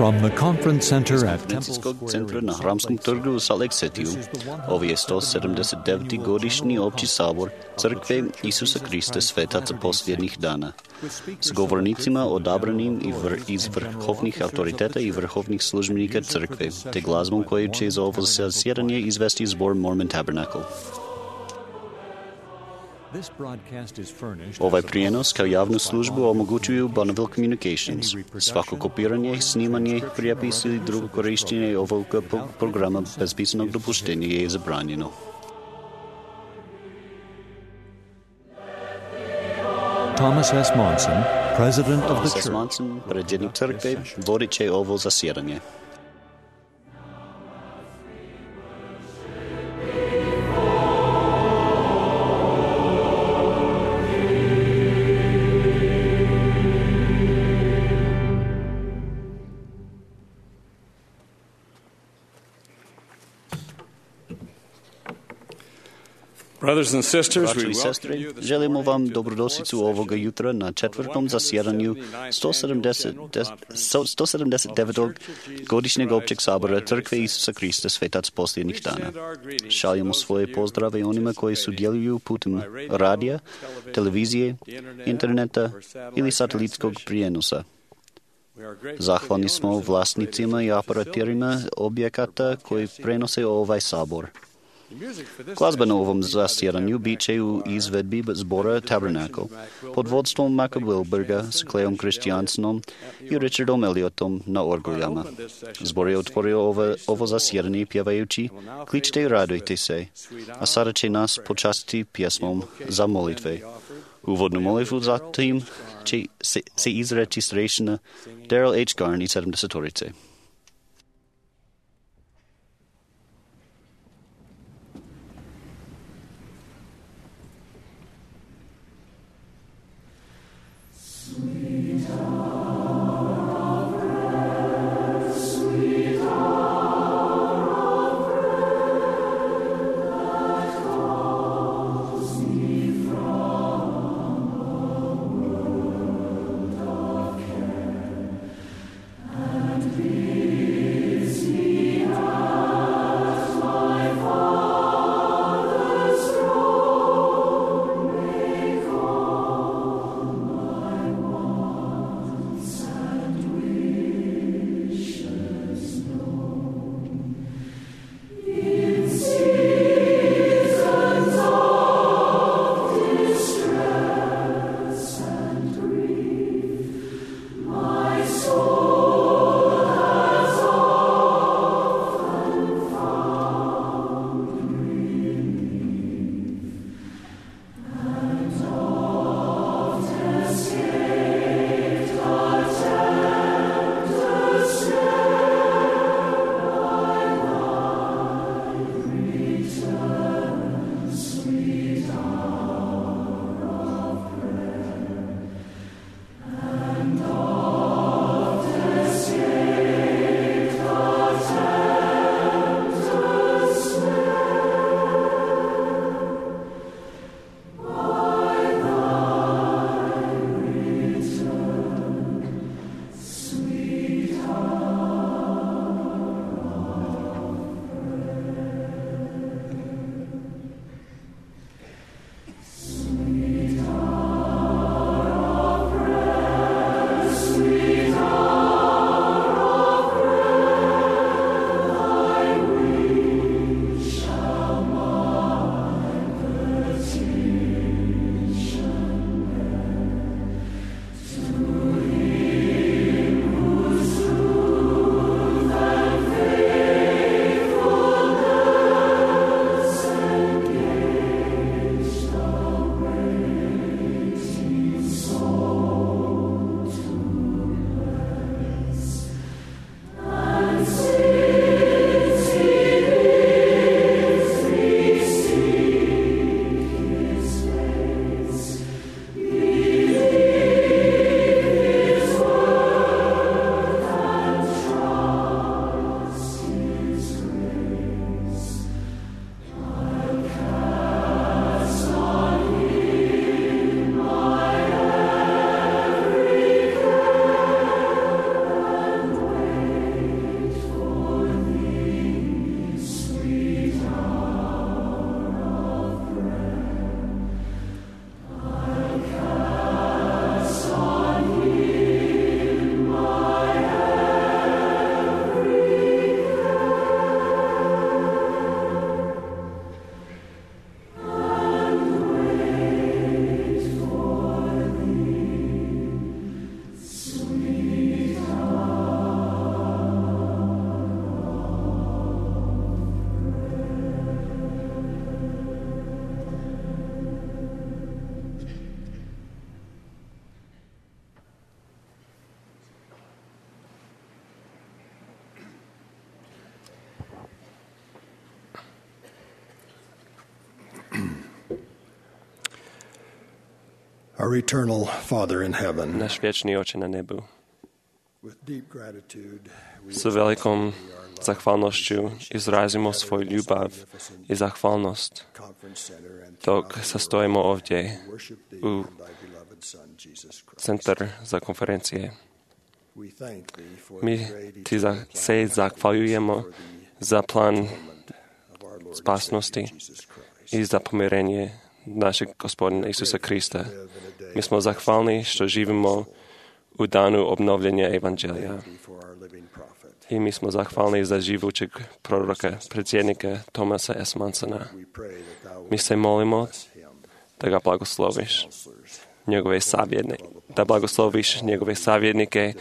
From the conference center at Temple Конференційського Square центру in на Храмском торгу у Салексетію. Ovo je 179. godišnji opći sabor Crkve Isusa Krista svetaca posljednjih dana. S govornicima odabranim iz vrhovnih autoriteta i vrhovnih službenika Crkve, te glazbom koju će za ovo zasjedanje izvesti zbor Mormon Tabernacle. Ovaj prijenos kao javnu službu omogućuju Bonneville Communications. Svako kopiranje, snimanje, prijepis ili drugo korištenje ovog programa bez pisanog dopuštenja je zabranjeno. Thomas S. Monson, president of the Thomas S. church. Monson, predsjednik crkve, vodit će ovo zasjedanje. Brothers and sisters, Braćo we i welcome sestre, you this želimo vam morning to dobrodošlicu ovoga jutra na četvrtom zasjedanju 179. godišnjeg općeg sabora Crkve Isusa Krista svetac posljednjih dana. Šaljemo svoje pozdrave onima koji sudjeluju putem radija, televizije, interneta ili satelitskog prijenosa. Zahvalni smo vlasnicima i operatorima objekata koji prenose ovaj sabor. Glazba na ovom zasjedanju bit će u izvedbi zbora Tabernacle pod vodstvom Maka Wilberga s Cleom Christiansenom i Richardom Elliotom na orguljama. Zbor je otvorio ovo zasjedanje pjevajući Kličte i radujte se, a sada će nas počastiti pjesmom za molitve. Uvodnu molitvu zatim će se izreći starešina Daryl H. Garn i 70-orice. Our eternal Father in heaven, Náš večný Oče na nebu. with deep gratitude, we S veľkou zachvalnosťou izrazimo svoju ľubav i zachvalnosť, conference center and dok sa stojimo ovdje worship thee u and thy beloved Son, Jesus Christ. centar za konferencie. We thank thee for My the great ti se zachvaľujemo za plán spásnosti i za pomirenie našeg Gospodina Isusa Krista. My smo zahvalni što živimo u danu obnovljenja Evanđelja. I mi smo zahvalni za živućeg proroka, predsjednika Thomasa S. Mansona. Mi se molimo da ga blagosloviš, da blagosloviš njegove savjetnike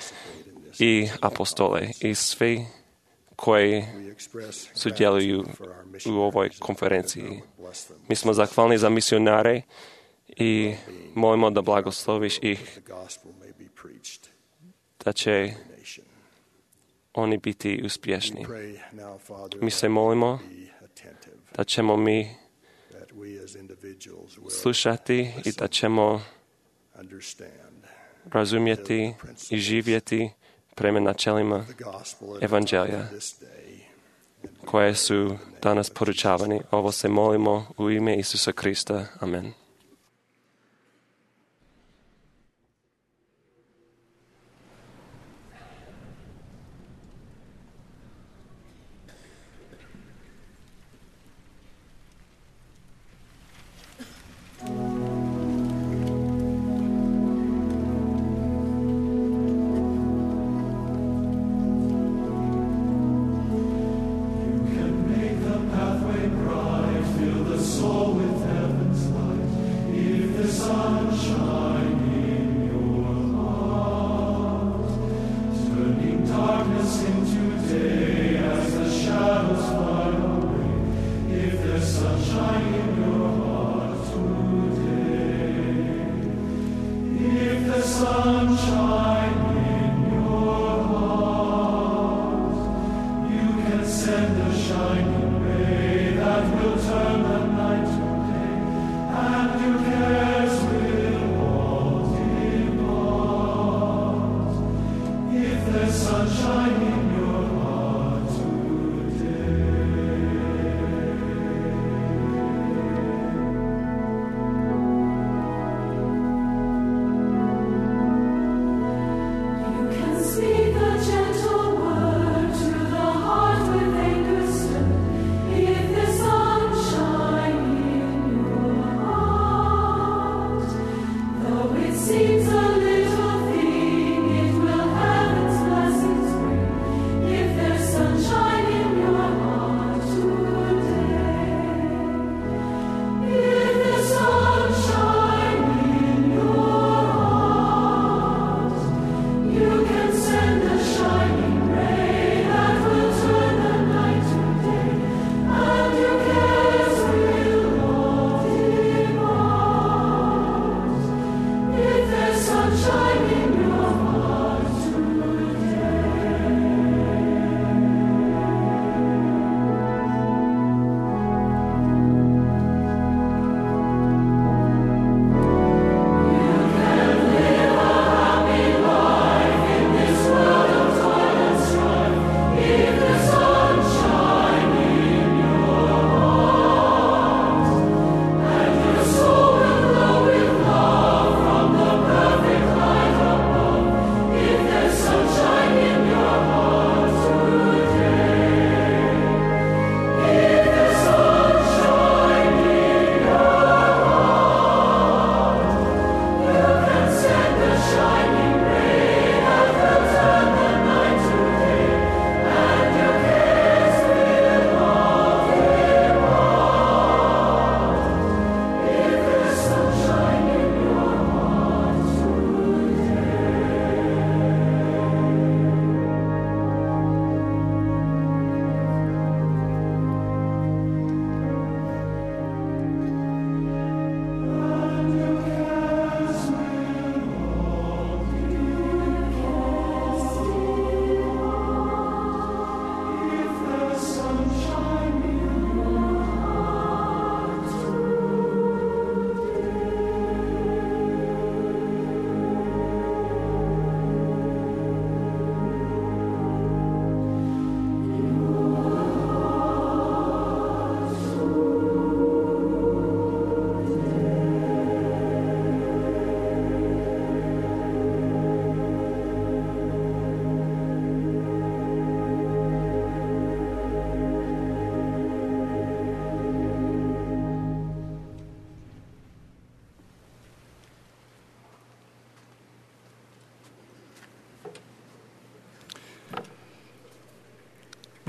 i apostole i svi koji sudjeluju u ovoj konferenciji. Mi smo zahvalni za misionare i molimo da blagosloviš ih, da će oni biti uspješni. Mi se molimo da ćemo mi slušati i da ćemo razumjeti i živjeti prema načelima Evanđelja koje su danas poručavani. Ovo se molimo u ime Isusa Krista. Amen. Seems a little thing, it will have its blessings bring.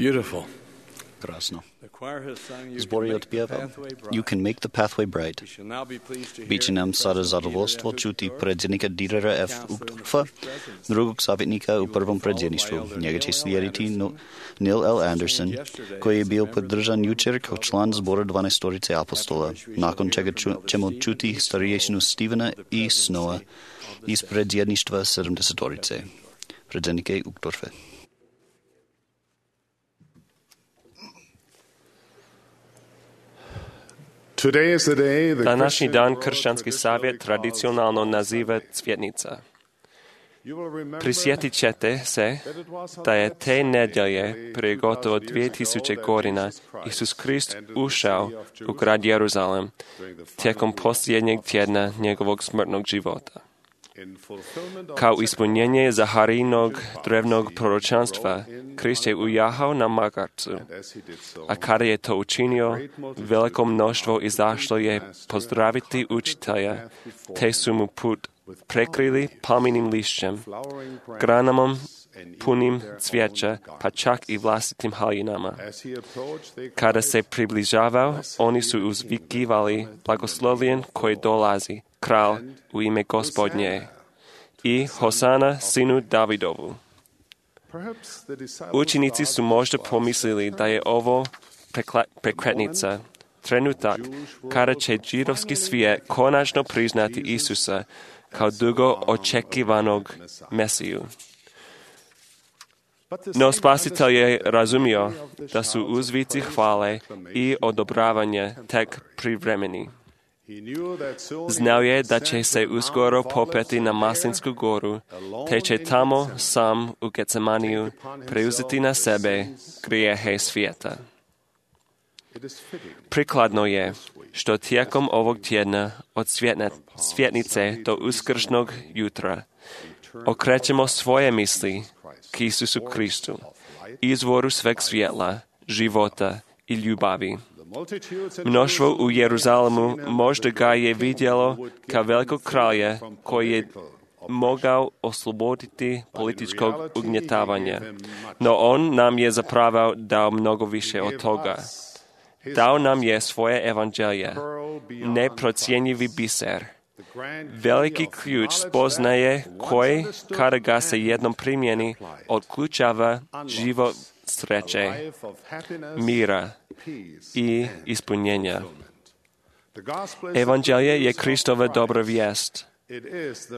Beautiful. Krásno. The choir has sung, "You Zbor can je make the odpieval, pathway You bright." can make the pathway bright. We shall now be pleased to Byť hear nám sa President zadovoljstvo Dieter F. čuti Uchtdorf, predsjednika Dierera F. Uchtdorfa, drugog savjetnika u prvom predsjedništvu. Njega će slijediti Neil L. Anderson, koji je bio podržan jučer kao član zbora 12 apostola, nakon čega ćemo čuti starješinu Stevena E. Snowa iz predsjedništva 70. Predsjednike Uchtdorfe. Današnji dan kršćanski savjet tradicionalno naziva Cvjetnica. Prisjetit ćete se da je te nedjelje prije gotovo 2000 godina Isus Krist ušao u grad Jeruzalem tijekom posljednjeg tjedna njegovog smrtnog života. Kao ispunjenje Zaharijinog drevnog proročanstva, Krist je ujahao na magarcu, a kada je to učinio, veliko mnoštvo izašlo je pozdraviti učitelja, te su mu put prekrili palminim lišćem, granama punim cvijeća, pa čak i vlastitim haljinama. Kada se približavao, oni su uzvikivali blagoslovljen koji dolazi, kralj u ime Gospodnje, i Hosana sinu Davidovu. Učenici su možda pomislili da je ovo prekretnica, trenutak kada će židovski svijet konačno priznati Isusa kao dugo očekivanog Mesiju. No Spasitelj je razumio da su uzvici hvale i odobravanje tek privremeni. Znao je da će se uskoro popeti na Maslinsku goru, te će tamo sam u Getsemaniju preuzeti na sebe grijehe svijeta. Prikladno je što tijekom ovog tjedna od svjetnice do uskršnjeg jutra okrećemo svoje misli k Isusu Kristu, izvoru sveg svjetla, života i ljubavi. Mnoštvo u Jeruzalemu možda ga je vidjelo kao velikog kralja koji je mogao osloboditi političkog ugnjetavanja. No on nam je zapravo dao mnogo više od toga. Dao nam je svoje evanđelje, neprocjenjivi biser, veliki ključ spoznaje koji, kada ga se jednom primjeni, otključava život sreće, mira i ispunjenja. Evanđelje je Kristova dobra vijest.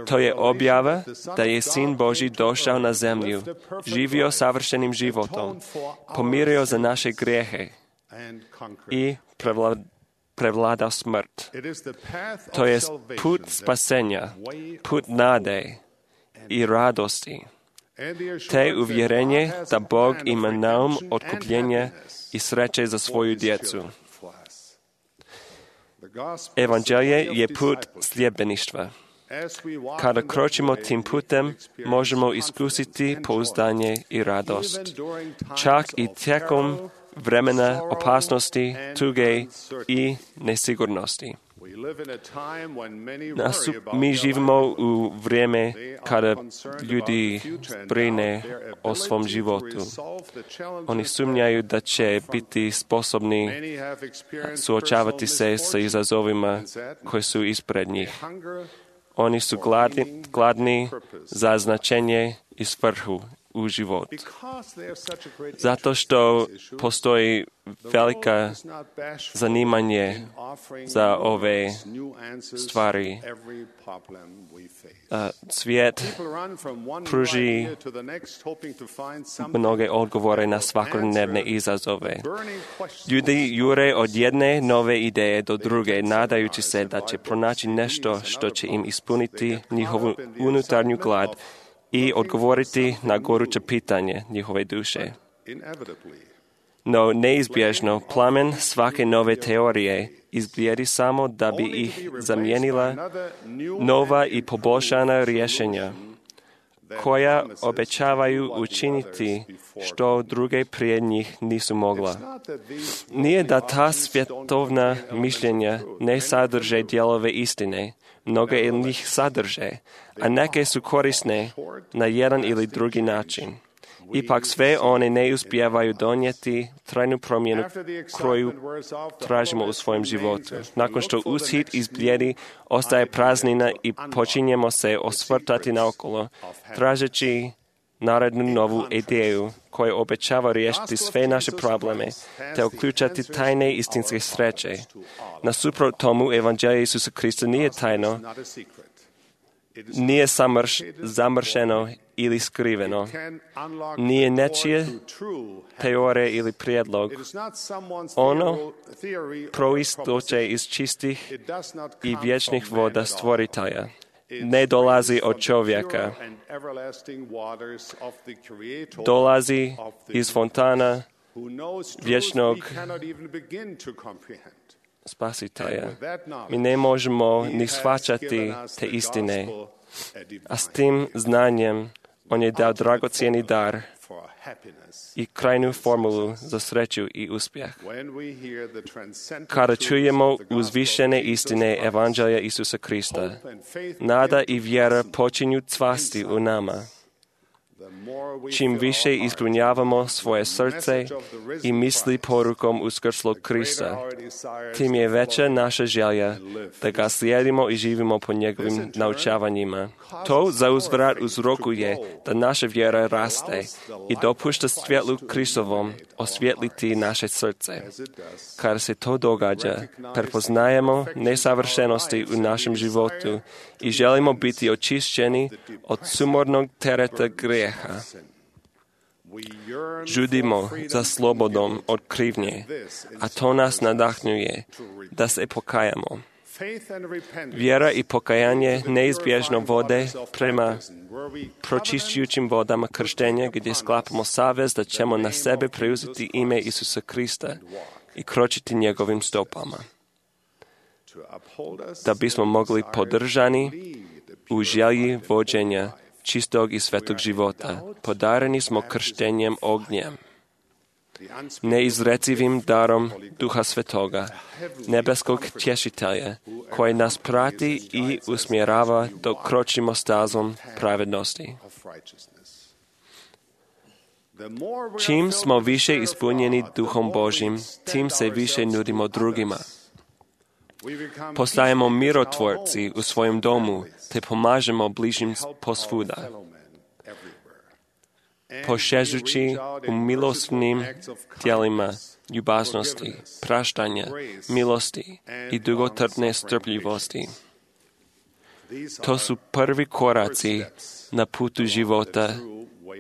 To je objava da je Sin Božji došao na zemlju, živio savršenim životom, pomirio za naše grijehe i prevladao smrt. To je put spasenja, put nade i radosti, te uvjerenje da Bog ima naum otkupljenja i sreće za svoju djecu. Evanđelje je put sljedbeništva. Kada kročimo tim putem, možemo iskusiti pouzdanje i radost. Čak i tijekom vremena opasnosti, tuge i nesigurnosti. Mi živimo u vrijeme kada ljudi brine o svom životu. Oni sumnjaju da će biti sposobni suočavati se sa izazovima koji su ispred njih. Oni su gladni za značenje i svrhu u život. Zato što postoji velika zanimanje za ove stvari. Svijet pruži mnoge odgovore na svakodnevne izazove. Ljudi jure od jedne nove ideje do druge, nadajući se da će pronaći nešto što će im ispuniti njihovu unutarnju glad i odgovoriti na goruće pitanje njihove duše. No neizbježno plamen svake nove teorije izbljedi samo da bi ih zamijenila nova i poboljšana rješenja, koja obećavaju učiniti što druge prije njih nisu mogla. Nije da ta svjetovna mišljenja ne sadrže dijelove istine, mnoge njih sadrže, a neke su korisne na jedan ili drugi način. Ipak sve one ne uspijevaju donijeti trajnu promjenu koju tražimo u svojem životu. Nakon što ushit izbljedi, ostaje praznina i počinjemo se osvrtati naokolo, tražeći narednu novu ideju koja obećava riješiti sve naše probleme, te uključati tajne istinske sreće. Nasuprot tomu, evanđelje Isusa Krista nije tajno, nije zamršeno ili skriveno, nije nečije teorije ili prijedlog. Ono proistoče iz čistih i vječnih voda stvoritelja. Ne dolazi od čovjeka. Dolazi iz fontana vječnog Spasitelja. Mi ne možemo ni shvaćati te istine, a s tim znanjem on je dao dragocjeni dar i krajnju formulu za sreću i uspjeh. Kada čujemo uzvišene istine evanđelja Isusa Krista, nada i vjera počinju cvasti u nama. Čim više ispunjavamo svoje srce i misli porukom uskrslog Krista, tim je veća naša želja da ga slijedimo i živimo po njegovim naučavanjima. To zauzvrat uzrokuje da naša vjera raste i dopušta svjetlu Kristovom osvjetliti naše srce. Kada se to događa, prepoznajemo nesavršenosti u našem životu i želimo biti očišćeni od sumornog tereta grijeha. Žudimo za slobodom od krivnje, a to nas nadahnjuje da se pokajamo. Vjera i pokajanje neizbježno vode prema pročišćujućim vodama krštenja gdje sklapamo savez da ćemo na sebe preuzeti ime Isusa Krista i kročiti njegovim stopama. Da bismo mogli podržani u želji vođenja čistog i svetog života, podareni smo krštenjem ognjem, neizrecivim darom Duha Svetoga, nebeskog tješitelja, koji nas prati i usmjerava dok kročimo stazom pravednosti. Čim smo više ispunjeni Duhom Božjim, tim se više nudimo drugima. Postajemo mirotvorci u svojem domu, te pomažemo bližnjim posvuda, pošežući u milostivnim djelima ljubaznosti, praštanja, milosti i dugotrpne strpljivosti. To su prvi koraci na putu života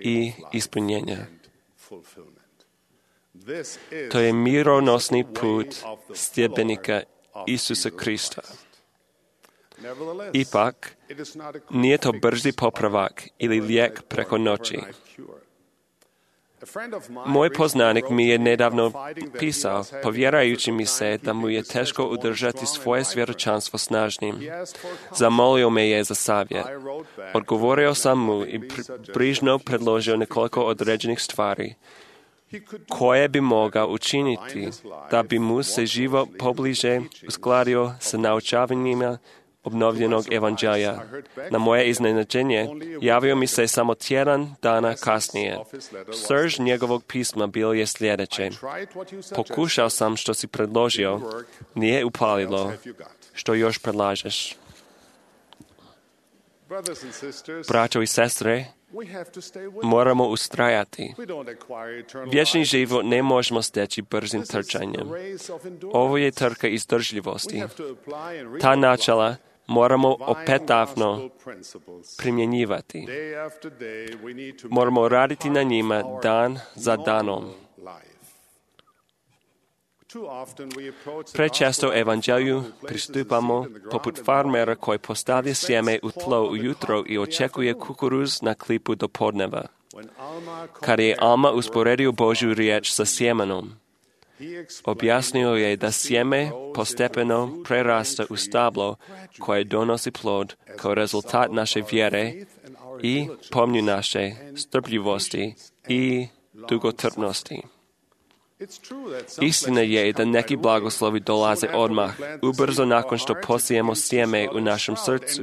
i ispunjenja. To je mironosni put sljedbenika Isusa Krista. Ipak, nije to brzi popravak ili lijek preko noći. Moj poznanik mi je nedavno pisao, povjerajući mi se da mu je teško udržati svoje svjedočanstvo snažnim. Zamolio me je za savjet. Odgovorio sam mu i brižno predložio nekoliko određenih stvari koje bi mogao učiniti da bi mu se život pobliže uskladio sa naučavanjima obnovljenog evanđelja. Na moje iznenađenje javio mi se samo tjedan dana kasnije. Srž njegovog pisma bilo je sljedeće. Pokušao sam što si predložio, nije upalilo. Što još predlažeš? Braćo i sestre, moramo ustrajati. Vječni život ne možemo steći brzim trčanjem. Ovo je trka izdržljivosti. Ta načela moramo opetavno primjenjivati. Moramo raditi na njima dan za danom. Prečesto evanđelju pristupamo poput farmera koji postavlja sjeme u tlo ujutro i očekuje kukuruz na klipu do podneva. Kad je Alma usporedio Božju riječ sa sjemenom, objasnio je da sjeme postepeno prerasta u stablo koje donosi plod kao rezultat naše vjere i pomnju naše strpljivosti i dugotrpnosti. Istina je da neki blagoslovi dolaze odmah, ubrzo nakon što posijemo sjeme u našem srcu.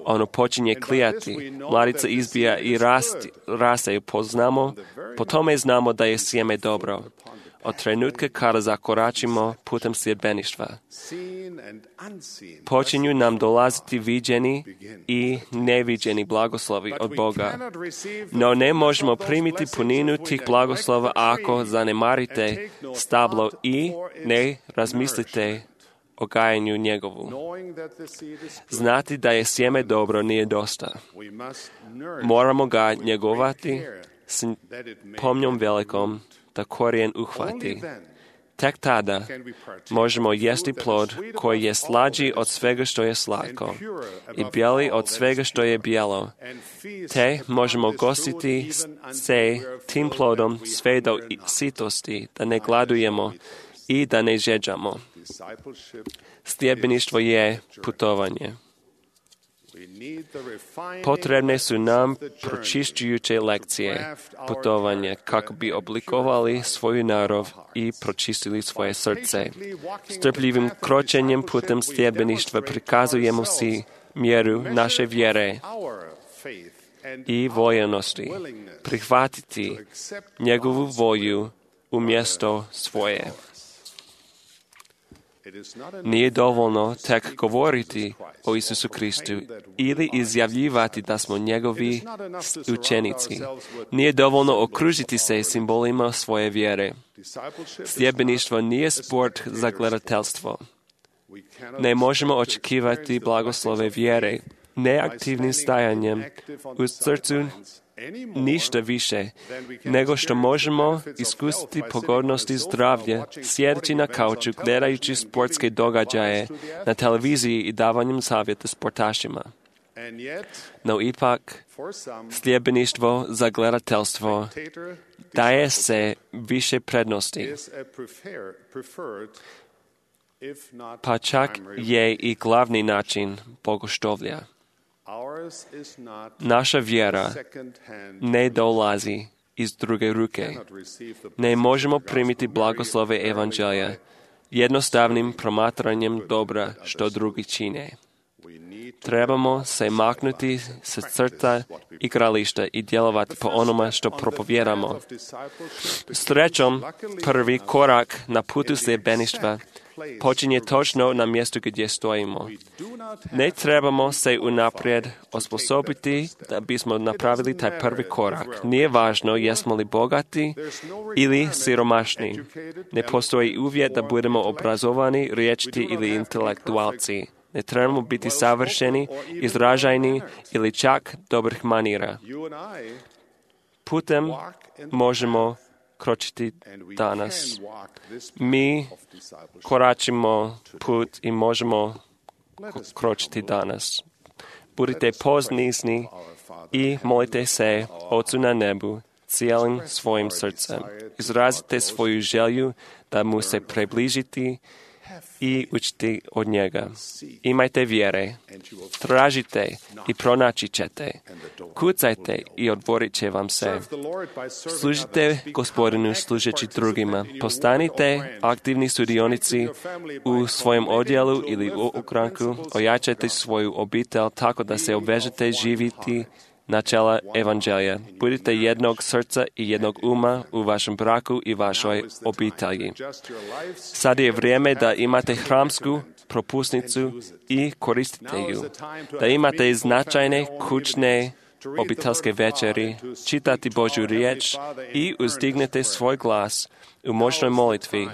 Ono počinje klijati, mladica izbija i raste. Poznamo Po tome znamo da je sjeme dobro. Od trenutka kada zakoračimo putem sljedbeništva, počinju nam dolaziti viđeni i neviđeni blagoslovi od Boga. No ne možemo primiti puninu tih blagoslova ako zanemarite stablo i ne razmislite o gajanju njegovu. Znati da je sjeme dobro nije dosta. Moramo ga njegovati s pomnjom velikom da korijen uhvati. Tek tada možemo jesti plod koji je slađi od svega što je slatko i bijeli od svega što je bijelo, te možemo gostiti se tim plodom sve do sitosti, da ne gladujemo i da ne žeđamo. Sljedbeništvo je putovanje. Potrebne su nam pročišćujuće lekcije putovanje kako bi oblikovali svoju narav i pročistili svoje srce. Strpljivim kročenjem putem sljedbeništva prikazujemo si mjeru naše vjere i voljenosti prihvatiti njegovu volju umjesto svoje. Nije dovoljno tek govoriti o Isusu Kristu ili izjavljivati da smo njegovi učenici. Nije dovoljno okružiti se simbolima svoje vjere. Sljedbeništvo nije sport za gledateljstvo. Ne možemo očekivati blagoslove vjere neaktivnim stajanjem u srcu ništa više, nego što možemo iskusiti pogodnosti zdravlja, sjedeći na kauču, gledajući sportske događaje na televiziji i davanjem savjeta sportašima. No ipak, sljedbeništvo za gledateljstvo daje se više prednosti, pa čak je i glavni način bogoštovlja. Naša vjera ne dolazi iz druge ruke. Ne možemo primiti blagoslove evanđelja jednostavnim promatranjem dobra što drugi čine. Trebamo se maknuti sa crta igrališta i djelovati po onome što propovjedamo. Srećom, prvi korak na putu sljedbeništva počinje točno na mjestu gdje stojimo. Ne trebamo se unaprijed osposobiti da bismo napravili taj prvi korak. Nije važno jesmo li bogati ili siromašni. Ne postoji uvjet da budemo obrazovani, riječiti ili intelektualci. Ne trebamo biti savršeni, izražajni ili čak dobrih manira. Putem možemo kročiti danas. Mi koračimo put i možemo kročiti danas. Budite poznizni i molite se Ocu na nebu cijelim svojim srcem. Izrazite svoju želju da mu se približiti i učiti od njega. Imajte vjere, tražite i pronaći ćete, kucajte i otvorit će vam se. Služite Gospodinu služeći drugima. Postanite aktivni sudionici u svojem odjelu ili u ogranku. Ojačajte svoju obitelj tako da se obvežete živiti načela evanđelja. Budite jednog srca i jednog uma u vašem braku i vašoj obitelji. Sad je vrijeme da imate hramsku propusnicu i koristite ju. Da imate značajne kućne obiteljske večeri, čitati Božju riječ i uzdignete svoj glas u moćnoj molitvi.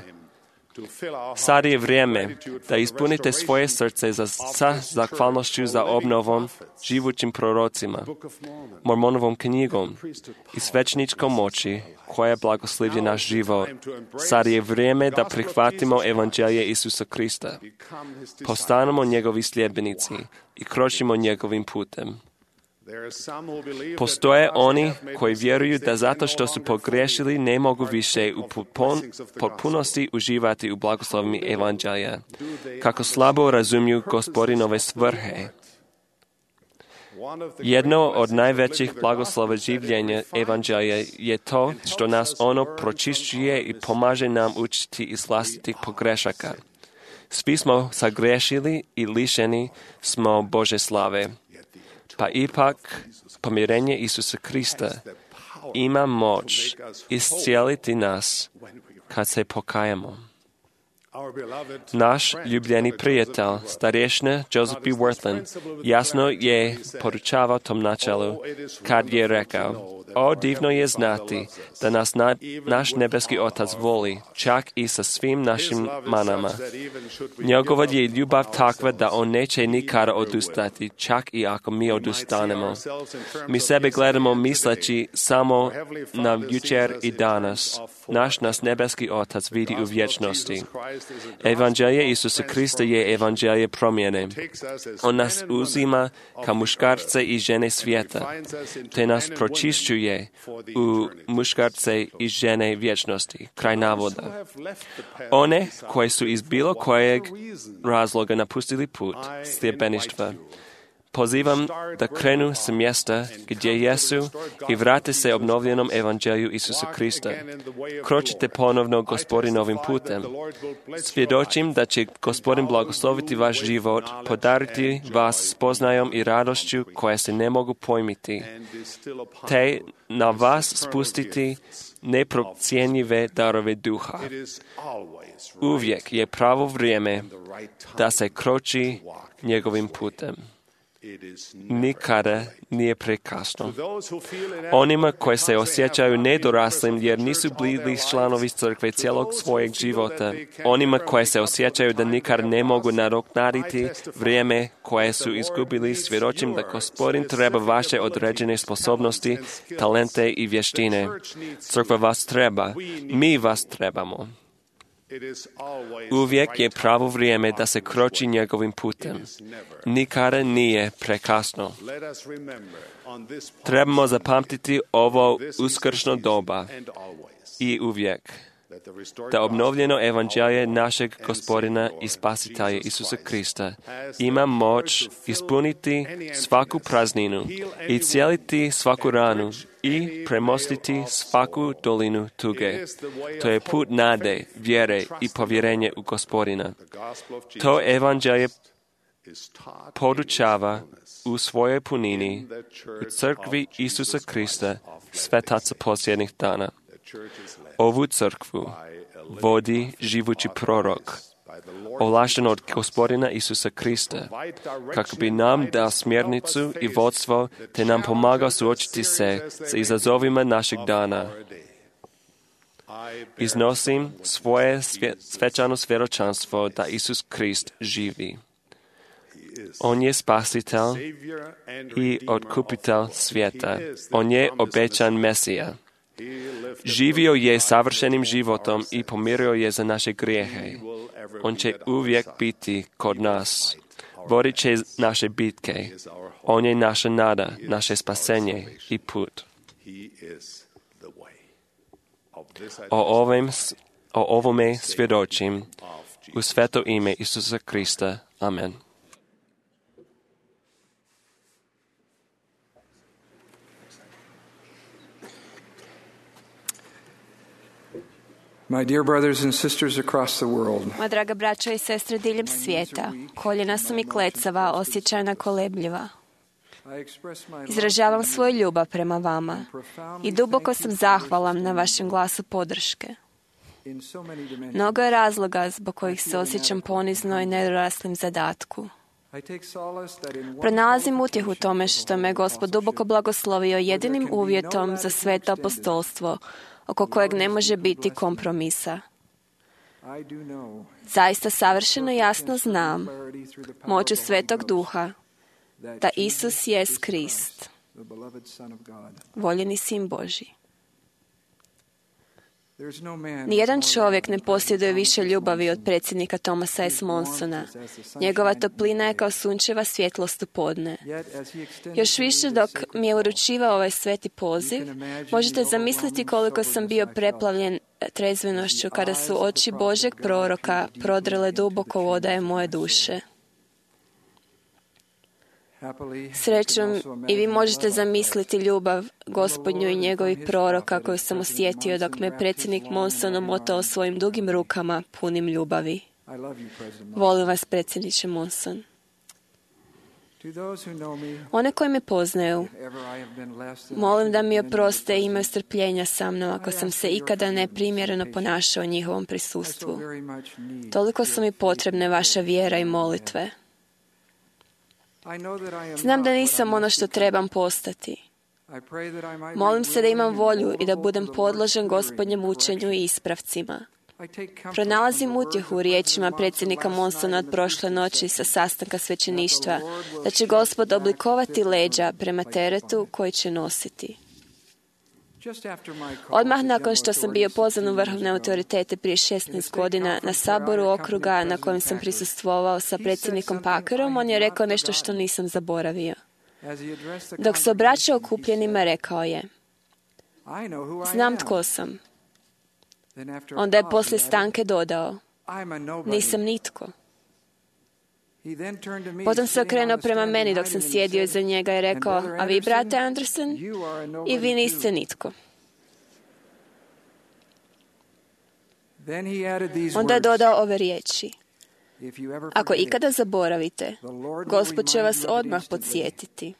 Sad je vrijeme da ispunite svoje srce sa zahvalnošću za obnovom živućim prorocima, Mormonovom knjigom i svećničkom moći koja blagoslivlja naš život. Sad je vrijeme da prihvatimo evanđelje Isusa Krista. Postanemo njegovi sljedbenici i kročimo njegovim putem. Postoje oni koji vjeruju da zato što su pogriješili ne mogu više u potpunosti uživati u blagoslovima evanđelja, kako slabo razumiju Gospodinove svrhe. Jedno od najvećih blagoslova življenja evanđelja je to što nas ono pročišćuje i pomaže nam učiti iz vlastitih pogrešaka. Svi smo sagriješili i lišeni smo Bože slave. Pa ipak, pomirenje Isusa Krista ima moć iscijeliti nas kad se pokajemo. Naš ljubljeni prijatelj, starješina Joseph B. Wirthlin, jasno je poručavao tom načelu kad je rekao: "O, divno je znati da nas naš nebeski Otac voli, čak i sa svim našim manama. Njegova je ljubav takva da on neće nikada odustati, čak i ako mi odustanemo." Mi sebe gledamo misleći samo na jučer i danas. Nas nebeski Otac vidi u vječnosti. Evanđelje Isusa Krista je evanđelje promjene. On nas uzima kao muškarce i žene svijeta, te nas pročišćuje u muškarce i žene vječnosti. Kraj navoda. One koji su iz bilo kojeg razloga napustili put sljedbeništva, pozivam da krenu s mjesta gdje jesu i vrate se obnovljenom evanđelju Isusa Krista. Kročite ponovno Gospodinovim putem. Svjedočim da će Gospodin blagosloviti vaš život, podariti vas spoznajom i radošću koje se ne mogu pojmiti, te na vas spustiti neprocjenjive darove duha. Uvijek je pravo vrijeme da se kroči njegovim putem. Nikada nije prekasno. Onima koji se osjećaju nedoraslim jer nisu bili članovi crkve cijelog svojeg života, onima koji se osjećaju da nikada ne mogu nadoknaditi vrijeme koje su izgubili, svjedočim da Gospodin treba vaše određene sposobnosti, talente i vještine. Crkva vas treba, mi vas trebamo. Uvijek je pravo vrijeme da se kroči njegovim putem. Nikada nije prekasno. Trebamo zapamtiti ovo uskršnjo doba i uvijek da obnovljeno evanđelje našeg Gospodina i Spasitelja Isusa Krista ima moć ispuniti svaku prazninu i cijeliti svaku ranu i premostiti svaku dolinu tuge. To je put nade, vjere i povjerenje u Gospodina. To evanđelje podučava u svojoj punini u crkvi Isusa Krista, svetaca posljednjih dana. Ovu crkvu vodi živući prorok, ovlašten od Gospodina Isusa Krista, kako bi nam dao smjernicu i vodstvo, te nam pomagao suočiti se s izazovima našeg dana. Iznosim svoje svečano svjedočanstvo da Isus Krist živi. On je spasitelj i otkupitelj svijeta. On je obećan Mesija. Živio je savršenim životom i pomirio je za naše grijehe. On će uvijek biti kod nas. Vodit će naše bitke. On je naša nada, naše spasenje i put. O ovome svjedočim u sveto ime Isusa Krista. Amen. My dear brothers and sisters across the world, moja draga braćo i sestre diljem svijeta, koljena su mi klecava, osjećajna kolebljiva. Izražavam svoju ljubav prema vama i duboko sam zahvalan na vašem glasu podrške. Mnogo je razloga zbog kojih se osjećam ponizno i nedoraslim zadatku. Pronalazim utjehu tome što me Gospod duboko blagoslovio jedinim uvjetom za sveto apostolstvo, oko kojeg ne može biti kompromisa. Zaista savršeno jasno znam moću Svetog Duha da Isus jest Krist, voljeni Sin Božji. Nijedan čovjek ne posjeduje više ljubavi od predsjednika Thomasa S. Monsona. Njegova toplina je kao sunčeva svjetlost u podne. Još više dok mi je uručivao ovaj sveti poziv, možete zamisliti koliko sam bio preplavljen trezvenošću kada su oči Božeg proroka prodrle duboko u odaje moje duše. Srećom, i vi možete zamisliti ljubav Gospodnju i njegovih proroka koju sam osjetio dok me predsjednik Monson omotao svojim dugim rukama punim ljubavi. Volim vas, predsjedniče Monson. One koji me poznaju, molim da mi oproste i imaju strpljenja sa mnom ako sam se ikada neprimjereno ponašao u njihovom prisustvu. Toliko su mi potrebne vaša vjera i molitve. Znam da nisam ono što trebam postati. Molim se da imam volju i da budem podložen Gospodnjem učenju i ispravcima. Pronalazim utjehu u riječima predsjednika Monsona od prošle noći sa sastanka svećeništva, da će Gospod oblikovati leđa prema teretu koji će nositi. Odmah nakon što sam bio pozvan u vrhovne autoritete prije 16 godina na saboru okruga na kojem sam prisustvovao sa predsjednikom Packerom, on je rekao nešto što nisam zaboravio. Dok se obraćao okupljenima, rekao je: znam tko sam. Onda je poslije stanke dodao: nisam nitko. Potom se okrenuo prema meni dok sam sjedio iza njega i rekao: a vi, brate Anderson, i vi niste nitko. Onda je dodao ove riječi: ako ikada zaboravite, Gospod će vas odmah podsjetiti,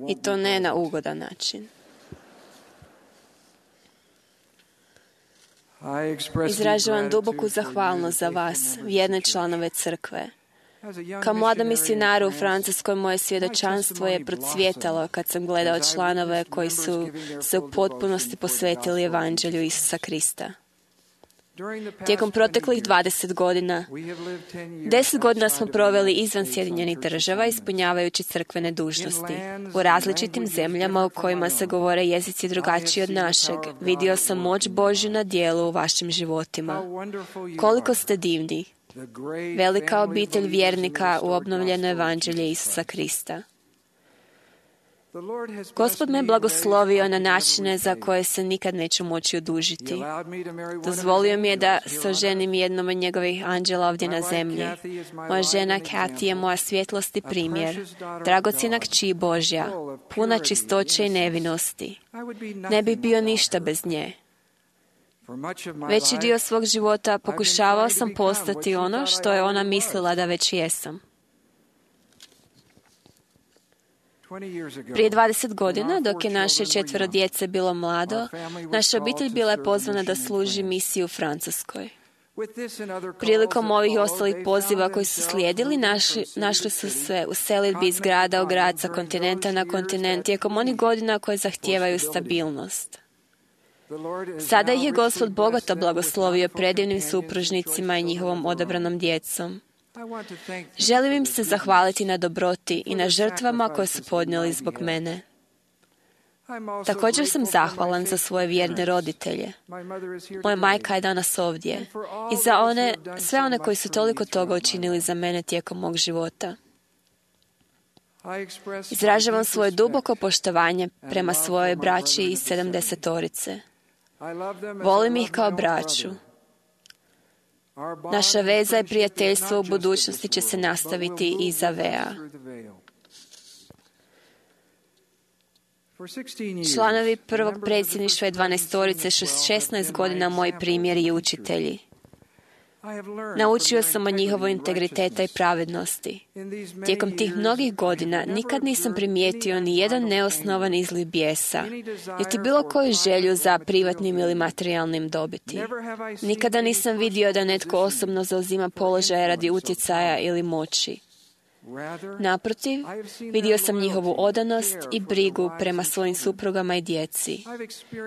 i to ne na ugodan način. Izražavam duboku zahvalnost za vas, vjerne članove crkve. Kao mlada misionara u Francuskoj, moje svjedočanstvo je procvjetalo kad sam gledao članove koji su se u potpunosti posvetili evanđelju Isusa Krista. Tijekom proteklih 20 godina, 10 godina smo proveli izvan Sjedinjenih Država ispunjavajući crkvene dužnosti. U različitim zemljama u kojima se govore jezici drugačiji od našeg, vidio sam moć Božju na djelu u vašim životima. Koliko ste divni! Velika obitelj vjernika u obnovljeno evanđelje Isusa Krista. Gospod me blagoslovio na načine za koje se nikad neću moći odužiti. Dozvolio mi je da se oženim jednom od njegovih anđela ovdje na zemlji. Moja žena Kathy je moja svjetlost i primjer, dragocjena kći Božja, puna čistoće i nevinosti. Ne bih bio ništa bez nje. Veći dio svog života pokušavao sam postati ono što je ona mislila da već jesam. Prije 20 godina, dok je naše 4 djece bilo mlado, naša obitelj bila je pozvana da služi misiju u Francuskoj. Prilikom ovih i ostalih poziva koji su slijedili, našli su se u selidbi iz grada u grad, sa kontinenta na kontinent, tijekom onih godina koje zahtijevaju stabilnost. Sada ih je Gospod bogato blagoslovio predivnim supružnicima i njihovom odabranom djecom. Želim im se zahvaliti na dobroti i na žrtvama koje su podnijeli zbog mene. Također sam zahvalan za svoje vjerne roditelje. Moja majka je danas ovdje. I za sve one koji su toliko toga učinili za mene tijekom mog života. Izražavam svoje duboko poštovanje prema svojoj braći iz 70-orice. Volim ih kao braću. Naša veza i prijateljstvo u budućnosti će se nastaviti iza vea. Članovi prvog predsjedništva i 12-orice su 16 godina moji primjeri i učitelji. Naučio sam od njihovog integriteta i pravednosti. Tijekom tih mnogih godina nikad nisam primijetio ni jedan neosnovan izliv bijesa, niti bilo koju želju za privatnim ili materijalnim dobiti. Nikada nisam vidio da netko osobno zauzima položaje radi utjecaja ili moći. Naprotiv, vidio sam njihovu odanost i brigu prema svojim suprugama i djeci.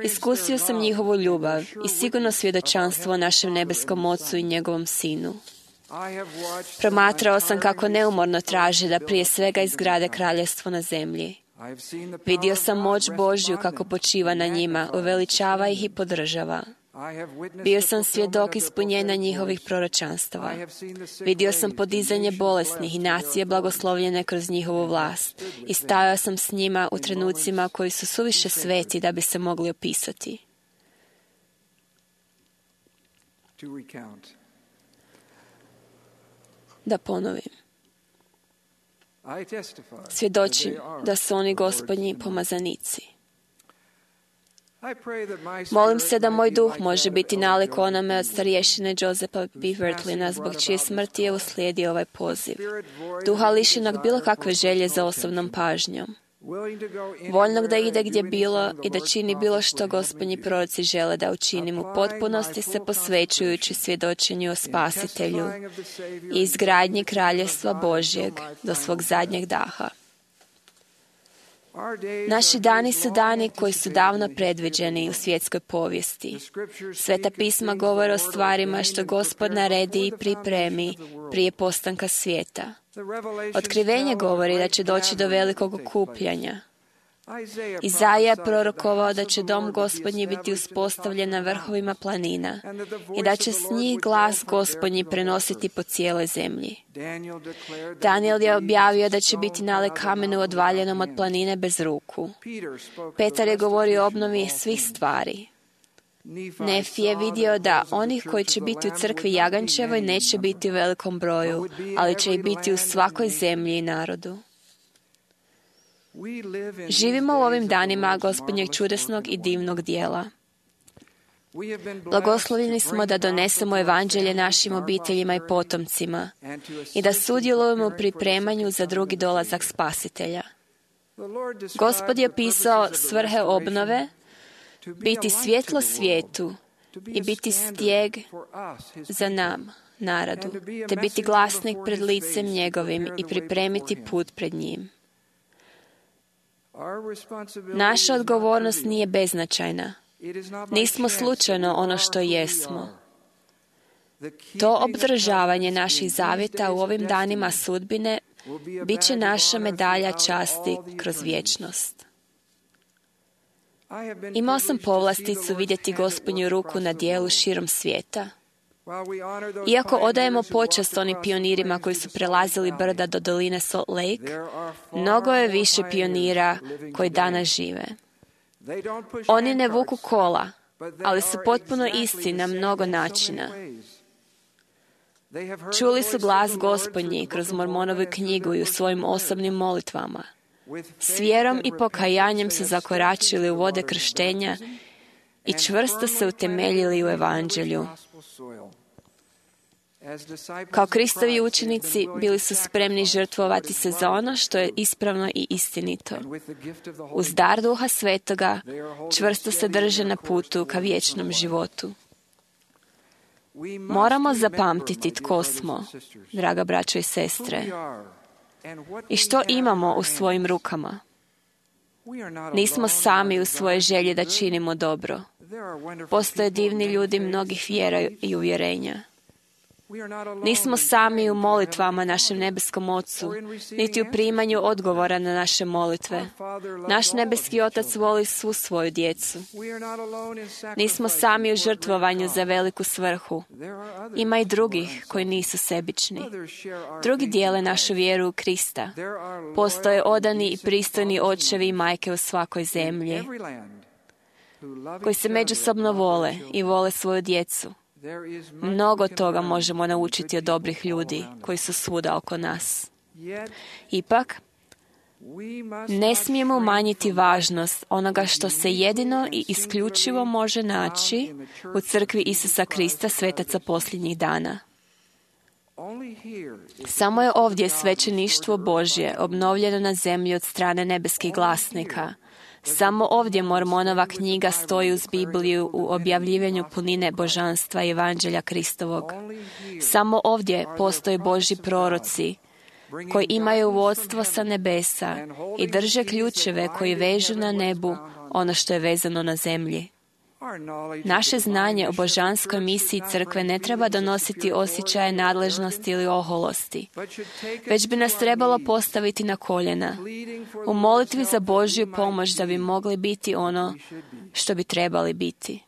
Iskusio sam njihovu ljubav i sigurno svjedočanstvo o našem nebeskom Ocu i njegovom Sinu. Promatrao sam kako neumorno traže da prije svega izgrade kraljevstvo na zemlji. Vidio sam moć Božju kako počiva na njima, uveličava ih i podržava. Bio sam svjedok ispunjenja njihovih proročanstava. Vidio sam podizanje bolesnih i nacije blagoslovljene kroz njihovu vlast. I stajao sam s njima u trenucima koji su suviše sveti da bi se mogli opisati. Da ponovim. Svjedočim da su oni Gospodnji pomazanici. Molim se da moj duh može biti nalik onome od starješine Josepa Bevertlina, zbog čije smrti je uslijedio ovaj poziv. Duha lišenog bilo kakve želje za osobnom pažnjom. Voljnog da ide gdje bilo i da čini bilo što Gospodnji proroci žele da učinimo, u potpunosti se posvećujući svjedočenju o Spasitelju i izgradnji Kraljevstva Božjeg do svog zadnjeg daha. Naši dani su dani koji su davno predviđeni u svjetskoj povijesti. Sveta pisma govore o stvarima što Gospod naredi i pripremi prije postanka svijeta. Otkrivenje govori da će doći do velikog okupljanja. Izaija je prorokovao da će dom Gospodnji biti uspostavljen na vrhovima planina i da će s njih glas Gospodnji prenositi po cijeloj zemlji. Daniel je objavio da će biti nalik kamenu odvaljenom od planine bez ruku. Petar je govorio o obnovi svih stvari. Nefi je vidio da onih koji će biti u crkvi Jagančevoj neće biti u velikom broju, ali će ih biti u svakoj zemlji i narodu. Živimo u ovim danima Gospodnjeg čudesnog i divnog dijela. Blagoslovljeni smo da donesemo evanđelje našim obiteljima i potomcima i da sudjelujemo u pripremanju za drugi dolazak Spasitelja. Gospod je pisao svrhe obnove, biti svjetlo svijetu i biti stijeg za nam, narodu, te biti glasnik pred licem njegovim i pripremiti put pred njim. Naša odgovornost nije beznačajna. Nismo slučajno ono što jesmo. To obdržavanje naših zavjeta u ovim danima sudbine bit će naša medalja časti kroz vječnost. Imao sam povlasticu vidjeti Gospodnju ruku na djelu širom svijeta. Iako odajemo počast onim pionirima koji su prelazili brda do doline Salt Lake, mnogo je više pionira koji danas žive. Oni ne vuku kola, ali su potpuno isti na mnogo načina. Čuli su glas Gospodnji kroz Mormonovu knjigu i u svojim osobnim molitvama. S vjerom i pokajanjem su zakoračili u vode krštenja i čvrsto se utemeljili u evanđelju. Kao Kristovi učenici bili su spremni žrtvovati se za ono što je ispravno i istinito. Uz dar Duha Svetoga čvrsto se drže na putu ka vječnom životu. Moramo zapamtiti tko smo, draga braćo i sestre, i što imamo u svojim rukama. Nismo sami u svoje želje da činimo dobro. Postoje divni ljudi mnogih vjera i uvjerenja. Nismo sami u molitvama našem nebeskom Ocu, niti u primanju odgovora na naše molitve. Naš nebeski Otac voli svu svoju djecu. Nismo sami u žrtvovanju za veliku svrhu. Ima i drugih koji nisu sebični. Drugi dijele našu vjeru u Krista. Postoje odani i pristojni očevi i majke u svakoj zemlji, koji se međusobno vole i vole svoju djecu. Mnogo toga možemo naučiti od dobrih ljudi koji su svuda oko nas. Ipak, ne smijemo umanjiti važnost onoga što se jedino i isključivo može naći u crkvi Isusa Krista, svetaca posljednjih dana. Samo je ovdje svećeništvo Božje obnovljeno na zemlji od strane nebeskih glasnika. Samo ovdje Mormonova knjiga stoji uz Bibliju u objavljivanju punine božanstva i evanđelja Kristovog. Samo ovdje postoje Božji proroci koji imaju vodstvo sa nebesa i drže ključeve koji vežu na nebu ono što je vezano na zemlji. Naše znanje o božanskoj misiji crkve ne treba donositi osjećaje nadležnosti ili oholosti, već bi nas trebalo postaviti na koljena u molitvi za Božju pomoć da bi mogli biti ono što bi trebali biti.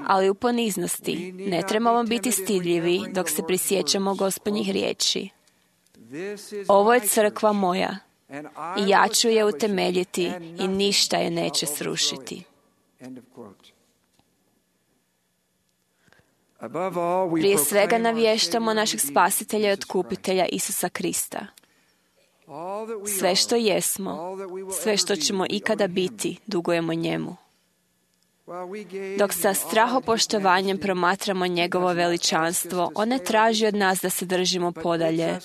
Ali u poniznosti ne trebamo biti stidljivi dok se prisjećamo Gospodnjih riječi. Ovo je crkva moja i ja ću je utemeljiti i ništa je neće srušiti. Prije svega navještamo našeg Spasitelja i Otkupitelja Isusa Krista. Sve što jesmo, sve što ćemo ikada biti, dugujemo njemu. Dok sa strahopoštovanjem promatramo njegovo veličanstvo, on ne traži od nas da se držimo podalje,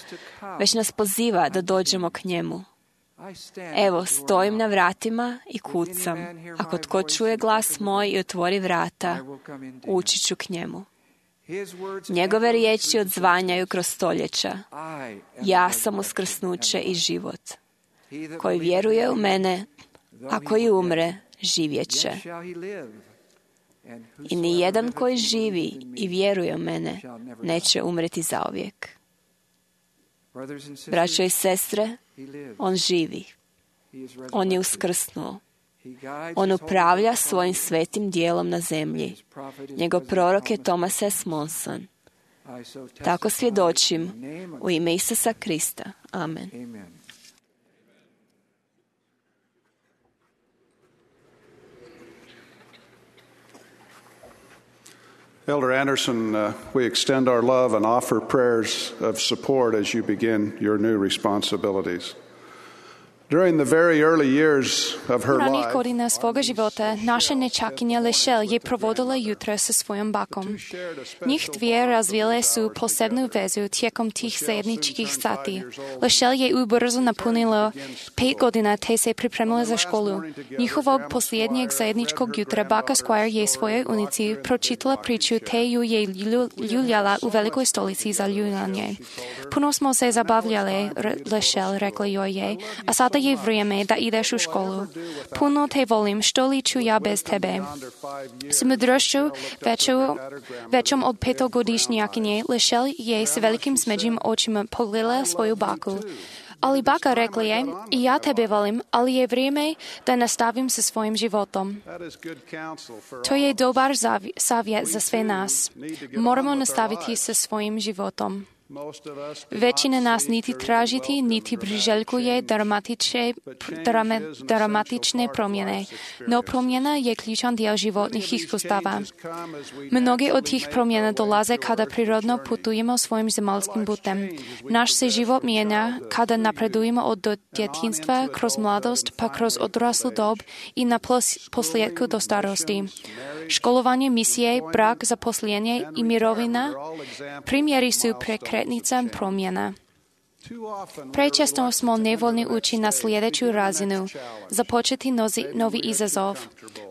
već nas poziva da dođemo k njemu. Evo, stojim na vratima i kucam. Ako tko čuje glas moj i otvori vrata, ući ću k njemu. Njegove riječi odzvanjaju kroz stoljeća. Ja sam uskrsnuće i život. Koji vjeruje u mene, a koji umre, živjet će. I ni jedan koji živi i vjeruje u mene, neće umreti zauvijek. Braćo i sestre, on živi. On je uskrsnuo. On upravlja svojim svetim dijelom na zemlji. Njegov prorok je Thomas S. Monson. Tako svjedočim u ime Isusa Krista. Amen. Elder Anderson, we extend our love and offer prayers of support as you begin your new responsibilities. During the very early years of her ranih life, godina svoga života naša nečakinja Lešel je provodila jutro sa svojom bakom. Njih dvije razvile su posebnu vezu tijekom tih zajedničkih sati. Lešel je ubrzo napunilo 5 godina te se pripremila za školu. Njihovog posljednjeg zajedničkog jutra baka Squire je svojoj unici pročitala priču te ju je ljuljala u velikoj stolici za ljuljanje. Puno smo se zabavljali, Lešel rekla joj je, a sada je vrijeme da ideš u školu. Puno te volim, što li ću ja bez tebe. S mudrošću većom od 5-godišnjakinje, Lešel je s velikim smeđim očima pogledala svoju baku. Ali baka rekla je, i ja tebe volim, ali je vrijeme da nastavim sa svojim životom. To je dobar savjet za sve nas. Moramo nastaviti sa svojim životom. Većina nas niti tražiti, niti priželjkuje dramatične promjene, no promjena je ključan dio životnih iskustava. Mnoge od tih promjena dolaze kada prirodno putujemo svojim zemaljskim putem. Naš se život mijenja kada napredujemo od djetinjstva kroz mladost pa kroz odraslu dob i na posljedku do starosti. Školovanje, misije, brak, zaposlenje i mirovina primjeri su prekretnica promjena. Prečesto smo nevoljni ući na sljedeću razinu, započeti novi izazov.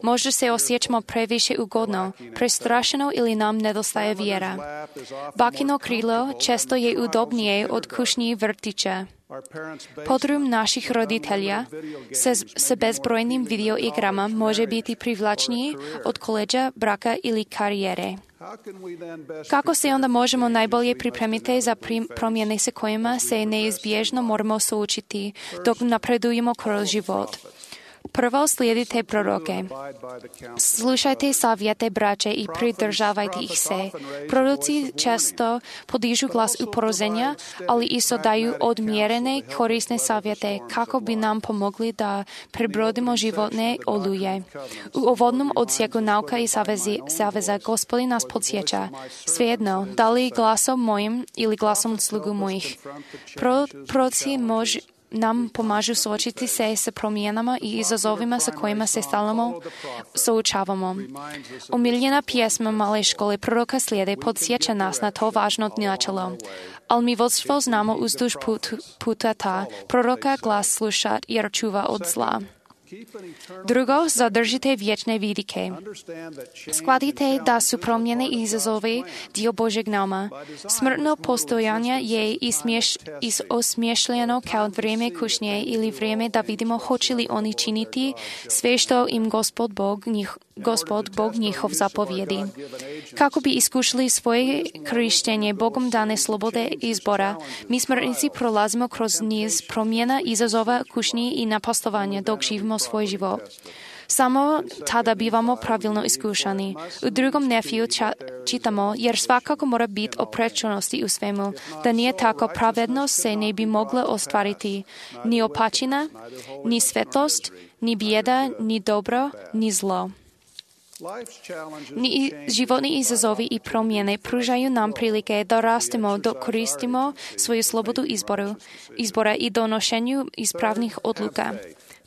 Možda se osjećamo previše ugodno, prestrašeno ili nam nedostaje vjera. Bakino krilo često je udobnije od kućnih vrtića. Podrum naših roditelja sa bezbrojnim videoigrama može biti privlačniji od koleđa, braka ili karijere. Kako se onda možemo najbolje pripremiti za promjene sa kojima se neizbježno moramo suočiti dok napredujemo kroz život? Prvo, slijedite proroke. Slušajte savjete braće i pridržavajte ih se. Proroci često podižu glas uporozenja, ali isto daju odmjerene korisne savjete kako bi nam pomogli da prebrodimo životne oluje. U uvodnom odsjeku nauka i saveza Gospodin nas podsjeća. Svejedno, da li glasom mojim ili glasom slugu mojih. Proroci nam pomažu suočiti se sa promjenama i izazovima sa kojima se stalno suočavamo. Omiljena pjesma Male škole proroka slijede podsjeća nas na to važno načelo. Ali mi vodstvo znamo uzduž puta ta, proroka glas slušat jer čuva od zla. Drugo, zadržite vječne vidike. Shvatite da su promjene i izazovi dio Božeg nama. Smrtno postojanje je osmišljeno kao vrijeme kušnje ili vrijeme da vidimo hoće li oni činiti sve što im Gospod Bog njihov zapovjedi. Kako bi iskušali svoje korištenje Bogom dane slobode izbora, mi smrtnici prolazimo kroz niz promjena, izazova, kušnji i napastovanja dok živimo svoj život. Samo tada bivamo pravilno iskušani. U drugom Nefiju čitamo, jer svakako mora biti oprečnosti u svemu, da nije tako pravednost se ne bi mogla ostvariti. Ni opačina, ni svetost, ni bijeda, ni dobro, ni zlo. Životni izazovi i promjene pružaju nam prilike da rastemo dok koristimo svoju slobodu izbora i donošenju ispravnih odluka.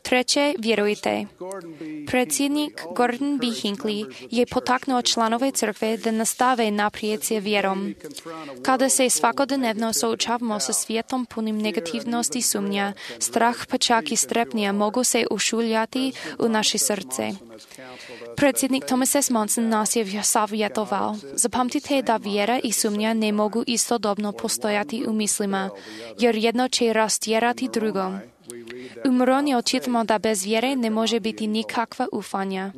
Treće, vjerujte. Predsjednik Gordon B. Hinckley je potaknuo članove crkve da nastave naprijed s vjerom. Kada se svakodnevno suočavamo sa svijetom punim negativnosti, sumnja, strah pa čak i strepnja mogu se ušuljati u naše srce. Predsjednik Thomas S. Monson nas je savjetoval. Zapamtite da vjera i sumnja ne mogu istodobno postojati u mislima, jer jedno će rastjerati drugo. U Moroni čitamo da bez vjere ne može biti nikakva ufanja.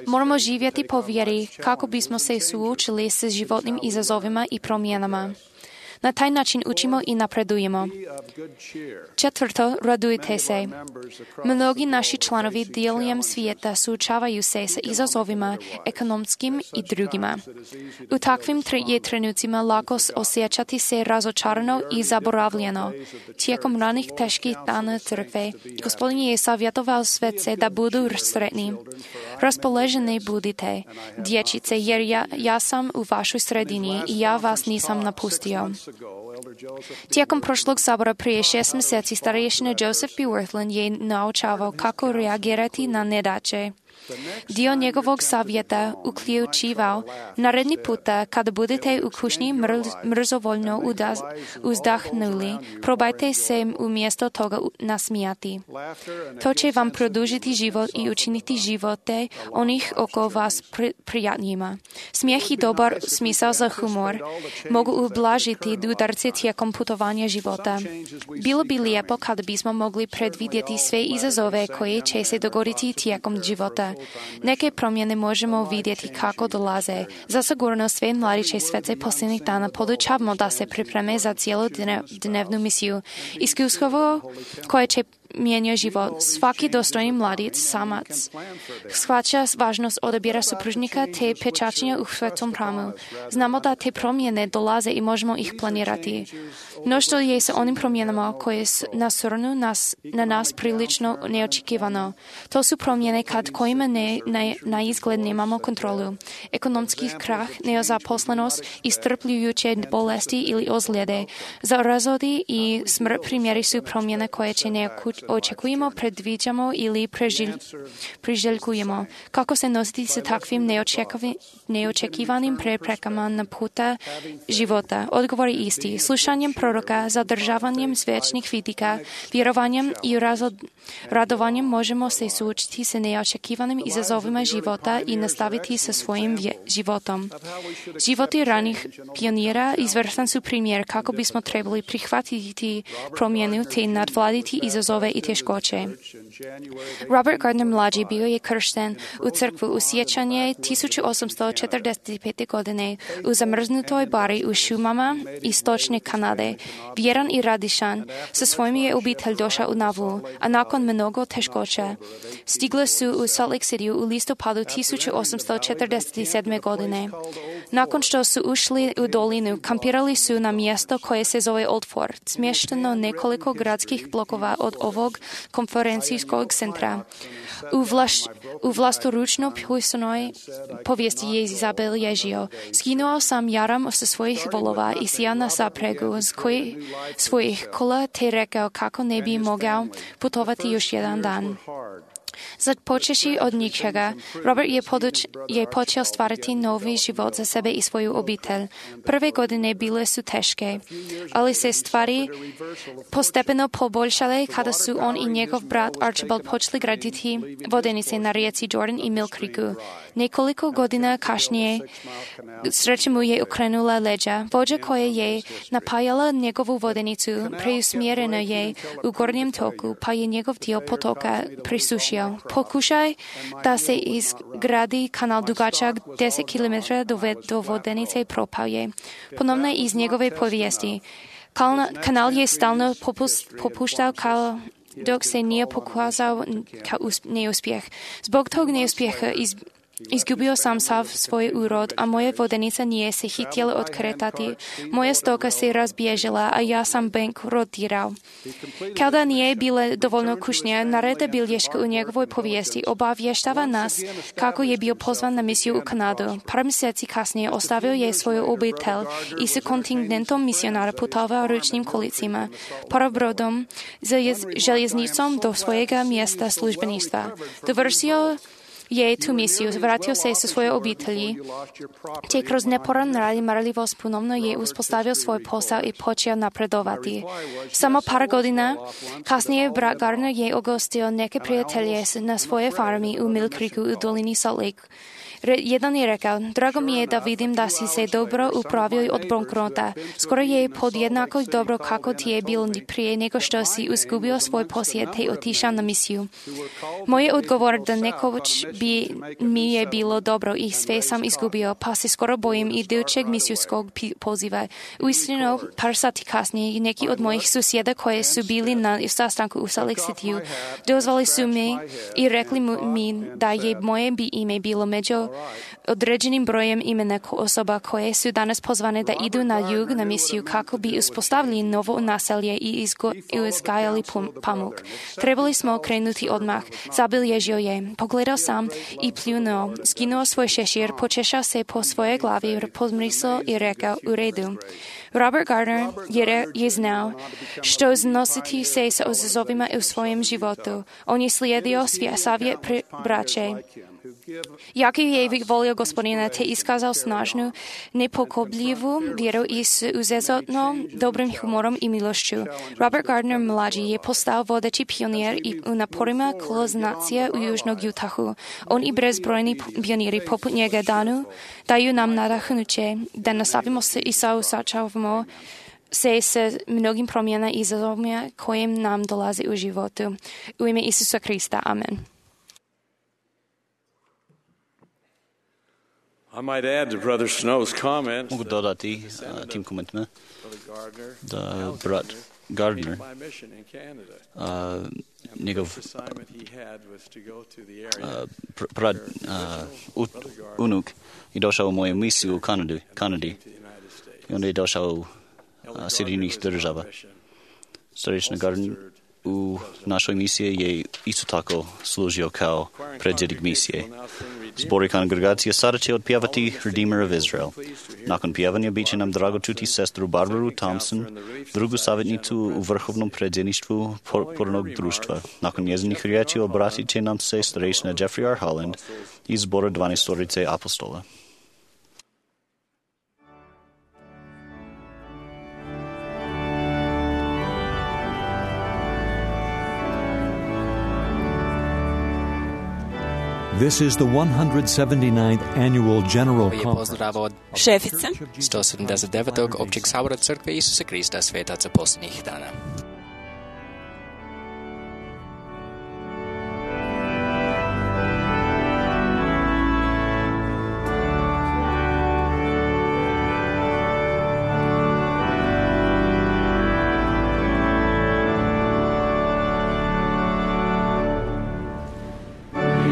Moramo živjeti po vjeri kako bismo se suočili s životnim izazovima i promjenama. Na taj način učimo i napredujemo. Četvrto, radujte se. Mnogi naši članovi diljem svijeta suočavaju se sa izazovima ekonomskim i drugima. U takvim trenucima lako osjećati se razočarano i zaboravljeno. Tijekom ranih teških dana crkve, Gospodin je savjetovao svece da budu sretni. Raspoloženi budite, dječice, jer ja sam u vašoj sredini i ja vas nisam napustio. Tijekom prošlog sabora prije 6 mjeseci starješina Joseph B. Worthland je naučavao kako reagirati na nedaće. Dio njegovog savjeta uključivao naredni puta kada budete u kušnji mrzovoljno uzdahnuli, probajte se umjesto toga nasmijati. To će vam produžiti život i učiniti živote onih oko vas prijatnijima. Smijeh i dobar smisao za humor mogu ublažiti udarce tijekom putovanja života. Bilo bi lijepo kada bismo mogli predvidjeti sve izazove koje će se dogoditi tijekom života. Neke promjene možemo vidjeti kako dolaze. Zasigurno sve mladiće svece posljednjih dana podučavamo da se pripreme za cijelodnevnu misiju. Iskustvo koje će mijenja život. Svaki dostojni mladić, samac, shvaća važnost odabira supružnika te pečaćenja u svetom hramu. Znamo da te promjene dolaze i možemo ih planirati. No što je sa onim promjenama koje nasurnu na nas prilično neočekivano. To su promjene kojima na izgled nemamo kontrolu. Ekonomski krah, nezaposlenost, istrpljujuće bolesti ili ozljede. Za razvodi i smrt primjeri su promjene koje će očekujemo, predviđamo ili priželjkujemo. Kako se nositi sa takvim neočekivanim preprekama na puta života? Odgovor je isti. Slušanjem proroka, zadržavanjem svečnih vidika, vjerovanjem i radovanjem možemo se suočiti sa neočekivanim izazovima života i nastaviti sa svojim životom. Životi ranih pionira izvrstan su primjer kako bismo trebali prihvatiti promjenu te nadvladiti izazove i teškoće. Robert Gardner mlađi bio je kršten u crkvu u siječanje 1845. godine u zamrznutoj bari u šumama istočne Kanade. Vjeran i radišan, sa svojim je obitelj došao u Navlu, a nakon mnogo teškoća stigli su u Salt Lake City u listopadu 1847. godine. Nakon što su ušli u dolinu, kampirali su na mjesto koje se zove Old Fort, smješteno nekoliko gradskih blokova od ovog konferencijskog centra. U vlastoručno pisanoj povijesti je zabilježio. Skinuo sam jaram sa svojih volova i sjao na zapregu svojih kola te rekao kako ne bi mogao putovati još jedan dan. Započeši od ničega, Robert je počeo stvarati novi život za sebe i svoju obitelj. Prve godine bile su teške, ali se stvari postepeno poboljšale kada su on i njegov brat Archibald počeli graditi vodenice na rijeci Jordan i Mill Creeku. Nekoliko godina kasnije sreća mu je okrenula leđa. Vođa koja je napajala njegovu vodenicu preusmjerena je u gornjem toku, pa je njegov dio potoka prisušio. Pokušaj da se izgradi kanal dugačak 10 km do vodenice propao je. Ponovno iz njegove povijesti. Kanal je stalno popuštao dok se nije pokazao kao neuspjeh. Zbog tog neuspjeha Izgubio sam sav svoj úrod a moje vodenice nie se chytily odkretati. Moje stoka se razbiežila a ja sam bankrotiral. Kada nie bile dovoljno kušnje, narede bilješka u njegovoj povijesti obavještava nas kako je bio pozvan na misiju u Kanadu. Par mjeseci kasnije ostavio je svoju obitelj i s kontingentom misionara putovao ručnim kolicima, parobrodom, željeznicom do svojega mjesta službeništva. Dovršio je tu misiju, vratio se sa svoje obitelji, te kroz neporan rad i marljivost ponovno je uspostavio svoj posao i počeo napredovati. Samo par godina kasnije brat Gardner je ugostio neke prijatelje na svoje farmi u Mill Creeku u dolini Salt Lake. Jedan je rekao, drago mi je da vidim da si se dobro upravio od bankrota. Skoro je podjednako dobro kako ti je bilo prije nego što si izgubio svoj posjed te otišao na misiju. Moj odgovor da nekoć bi mi je bilo dobro i sve sam izgubio, pa se skoro bojim idućeg misijskog poziva. Uistinu, par sati kasnije, neki od mojih susjeda koje su bili na sastanku u Salt Lake Cityu dozvali su mi i rekli mi da je moje ime bilo među određenim brojem imena osoba koje su danas pozvane da idu na jug na misiju kako bi uspostavili novo naselje i uzgajali pamuk. Trebali smo krenuti odmah. Zabilježio je. Pogledao sam i pljunuo. Skinuo svoj šešir, počešao se po svojej glavi, pozmrisao i rekao u redu. Robert Gardner je znao što nositi se sa izazovima u svojem životu. On je slijedio savjet braće. Jaký je volio Gospodina, te iskazal snažnu, nepokobljivu vjeru i s uzezotno dobrým humorom i milošću. Robert Gardner mladší je postal vodeći pionir i u naporima kolonizacije u Južnog Utahu. On i bezbrojni pioniri poput njega daju nam nadahnuće da nastavimo se i sačavamo se s mnogim promjena i izazovima kojim nam dolazi u životu. U ime Isusa Krista. Amen. Mogu dodati tim komentima da brat Gardner, njegov unuk je došao u moju misiju u Kanadi i onda je došao u Sjedinjenih država. Starešina Gardner u našoj misiji je isto tako služio kao predsjednik misije. Zbor i kongregacija sada će otpjevati Redeemer of Israel. Nakon pjevanja bit će nam drago čuti sestru Barbaru Thompson, drugu savjetnicu u vrhovnom predsjedništvu pornog društva. Nakon njezinih riječi obratit će nam se starešina Jeffrey R. Holland iz zbora 12 apostola. This is the 179th Annual General Conference. Šefica 179. Općeg sabora Crkve Isusa Krista svetaca posljednjih dana. Oh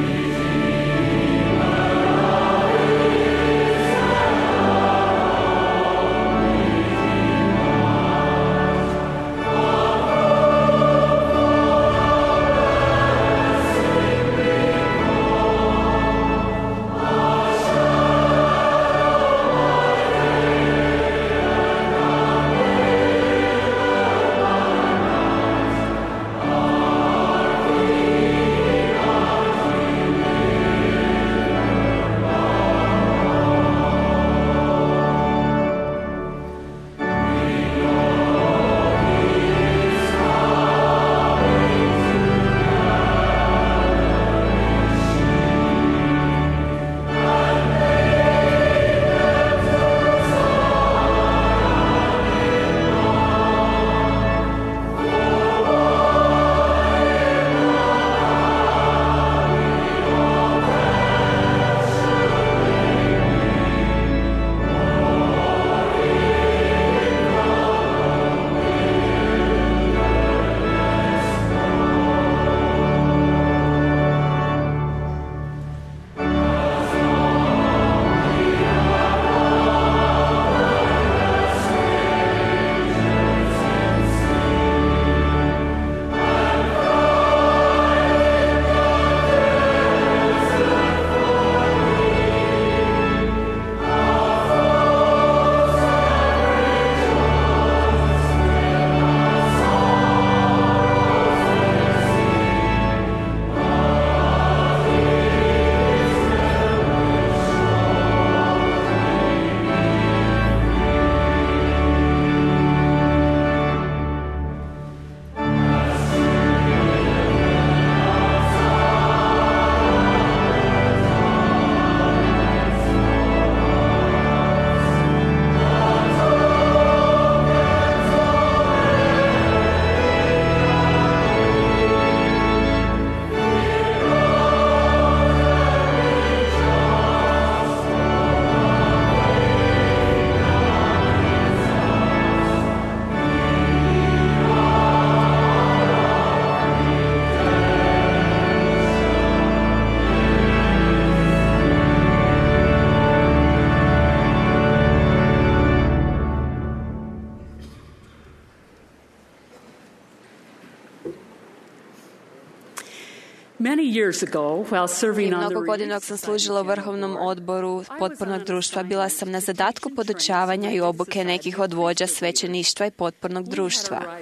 Prije mnogo godina dok sam služila u Vrhovnom odboru potpornog društva, bila sam na zadatku podučavanja i obuke nekih od vođa svećeništva i potpornog društva.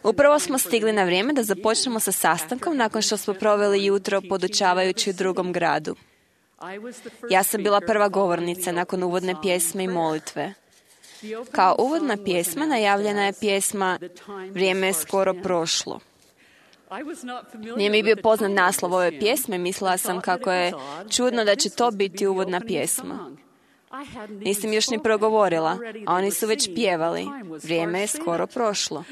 Upravo smo stigli na vrijeme da započnemo sa sastankom nakon što smo proveli jutro podučavajući u drugom gradu. Ja sam bila prva govornica nakon uvodne pjesme i molitve. Kao uvodna pjesma najavljena je pjesma Vrijeme je skoro prošlo. Nije mi bio poznat naslov ove pjesme, mislila sam kako je čudno da će to biti uvodna pjesma. Nisam još ni progovorila, a oni su već pjevali. Vrijeme je skoro prošlo.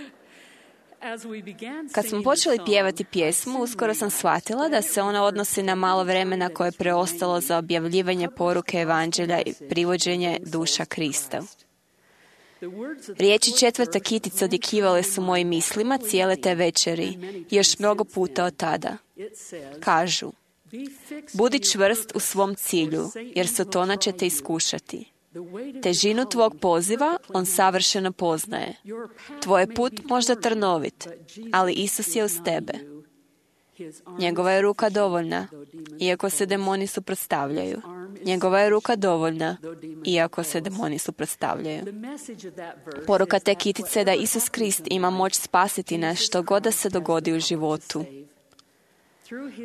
Kad smo počeli pjevati pjesmu, uskoro sam shvatila da se ona odnosi na malo vremena koje je preostalo za objavljivanje poruke evanđelja i privođenje duša Krista. Riječi 4. kitice odjekivale su mojim mislima cijele te večeri i još mnogo puta od tada. Kažu, budi čvrst u svom cilju, jer Sotona će te iskušati. Težinu tvog poziva on savršeno poznaje. Tvoj je put možda trnovit, ali Isus je uz tebe. Njegova je ruka dovoljna, iako se demoni suprotstavljaju. Njegova je ruka dovoljna, iako se demoni suprotstavljaju. Poruka te kitice je da Isus Krist ima moć spasiti nas što god da se dogodi u životu.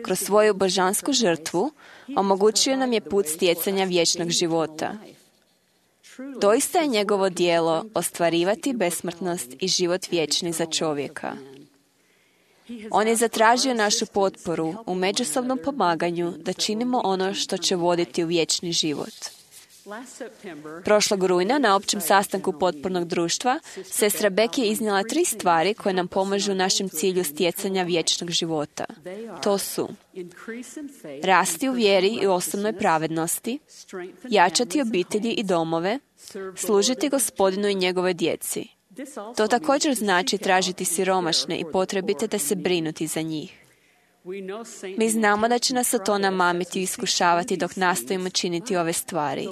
Kroz svoju božansku žrtvu omogućio nam je put stjecanja vječnog života. Doista je njegovo djelo ostvarivati besmrtnost i život vječni za čovjeka. On je zatražio našu potporu u međusobnom pomaganju da činimo ono što će voditi u vječni život. Prošlog rujna na općem sastanku potpornog društva sestra Beck je iznijela 3 stvari koje nam pomažu u našem cilju stjecanja vječnog života. To su rasti u vjeri i osobnoj pravednosti, jačati obitelji i domove, služiti Gospodinu i njegove djeci. To također znači tražiti siromašne i potrebite te se brinuti za njih. Mi znamo da će nas Sotona mamiti i iskušavati dok nastojimo činiti ove stvari,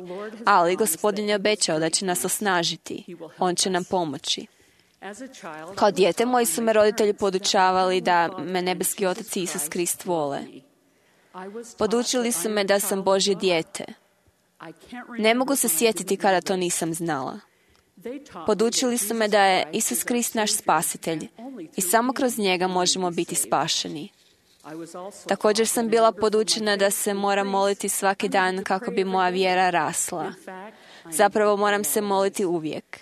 ali Gospodin je obećao da će nas osnažiti. On će nam pomoći. Kao dijete moji su me roditelji podučavali da me nebeski Otac i Isus Krist vole. Podučili su me da sam Božje dijete. Ne mogu se sjetiti kada to nisam znala. Podučili su me da je Isus Krist naš spasitelj i samo kroz njega možemo biti spašeni. Također sam bila podučena da se moram moliti svaki dan kako bi moja vjera rasla. Zapravo moram se moliti uvijek.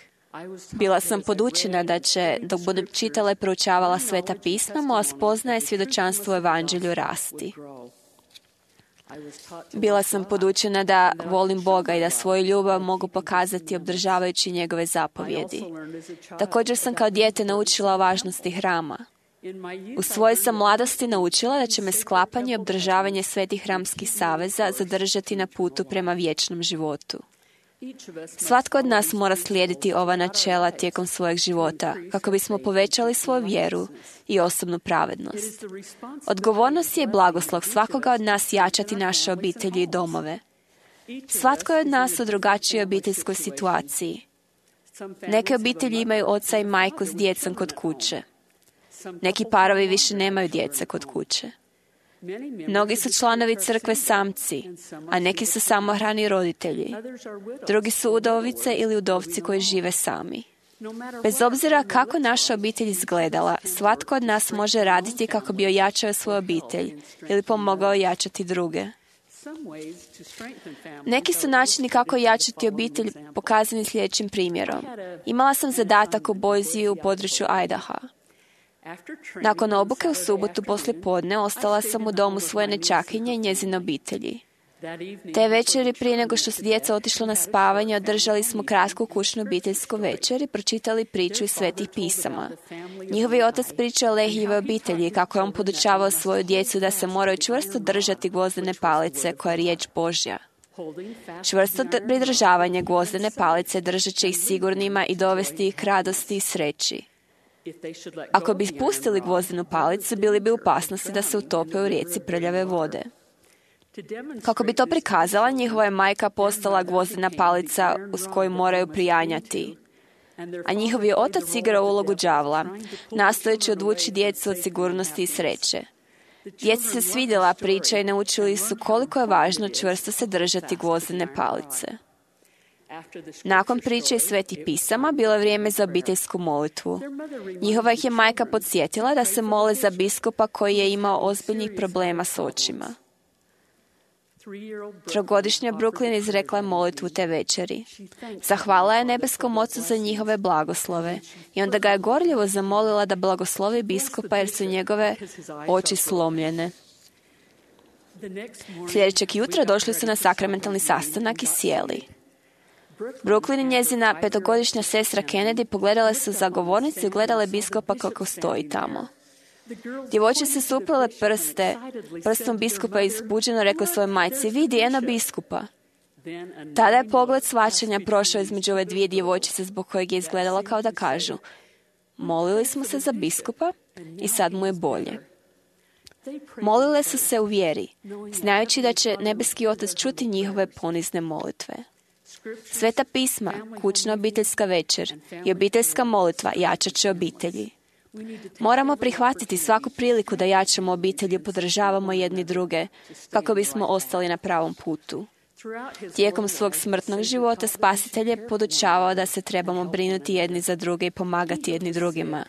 Bila sam podučena da će, dok budem čitala i proučavala Sveta pisma, moja spoznaja i svjedočanstvo u evanđelju rasti. Bila sam podučena da volim Boga i da svoju ljubav mogu pokazati obdržavajući njegove zapovjedi. Također sam kao dijete naučila o važnosti hrama. U svojoj sam mladosti naučila da će me sklapanje i obdržavanje svetih hramskih saveza zadržati na putu prema vječnom životu. Svatko od nas mora slijediti ova načela tijekom svojeg života kako bismo povećali svoju vjeru i osobnu pravednost. Odgovornost je i blagoslov svakoga od nas jačati naše obitelji i domove. Svatko je od nas u drugačijoj obiteljskoj situaciji. Neke obitelji imaju oca i majku s djecom kod kuće. Neki parovi više nemaju djece kod kuće. Mnogi su članovi crkve samci, a neki su samohrani roditelji. Drugi su udovice ili udovci koji žive sami. Bez obzira kako naša obitelj izgledala, svatko od nas može raditi kako bi ojačao svoju obitelj ili pomogao jačati druge. Neki su načini kako jačati obitelj pokazani sljedećim primjerom. Imala sam zadatak u Boiseu u području Idaha. Nakon obuke u subotu poslijepodne ostala sam u domu svoje nećakinje i njezine obitelji. Te večeri prije nego što su djeca otišla na spavanje, održali smo kratku kućnu obiteljsku večer i pročitali priču iz Svetih pisama. Njihovi otac priča o Lehijevoj obitelji, kako je on podučavao svoju djecu da se moraju čvrsto držati gvozdene palice koja je riječ Božja. Čvrsto pridržavanje gvozdene palice držat će ih sigurnima i dovesti ih k radosti i sreći. Ako bi pustili gvozdenu palicu, bili bi u opasnosti da se utope u rijeci prljave vode. Kako bi to prikazala, njihova je majka postala gvozdena palica uz koju moraju prijanjati. A njihov je otac igrao ulogu đavla, nastojeći odvući djecu od sigurnosti i sreće. Djeci se svidjela priča i naučili su koliko je važno čvrsto se držati gvozdene palice. Nakon priče iz Svetih pisama bilo je vrijeme za obiteljsku molitvu. Njihova ih je majka podsjetila da se mole za biskupa koji je imao ozbiljnih problema s očima. Trogodišnja Brooklyn izrekla je molitvu te večeri. Zahvala je nebeskom ocu za njihove blagoslove i onda ga je gorljivo zamolila da blagoslovi biskupa jer su njegove oči slomljene. Sljedećeg jutra došli su na sakramentalni sastanak i sjeli. Brooklyn i njezina 5-godišnja sestra Kennedy pogledale su za govornicu i gledale biskupa kako stoji tamo. Djevojčice su uplele prstom biskupa i izbuđeno rekla svojoj majci, vidi, eno biskupa. Tada je pogled shvaćanja prošao između ove dvije djevojčice zbog kojeg je izgledalo kao da kažu, molili smo se za biskupa i sad mu je bolje. Molile su se u vjeri, znajući da će nebeski otac čuti njihove ponizne molitve. Sveta pisma, kućna obiteljska večer i obiteljska molitva jačat će obitelji. Moramo prihvatiti svaku priliku da jačamo obitelji i podržavamo jedni druge kako bismo ostali na pravom putu. Tijekom svog smrtnog života spasitelj je podučavao da se trebamo brinuti jedni za druge i pomagati jedni drugima.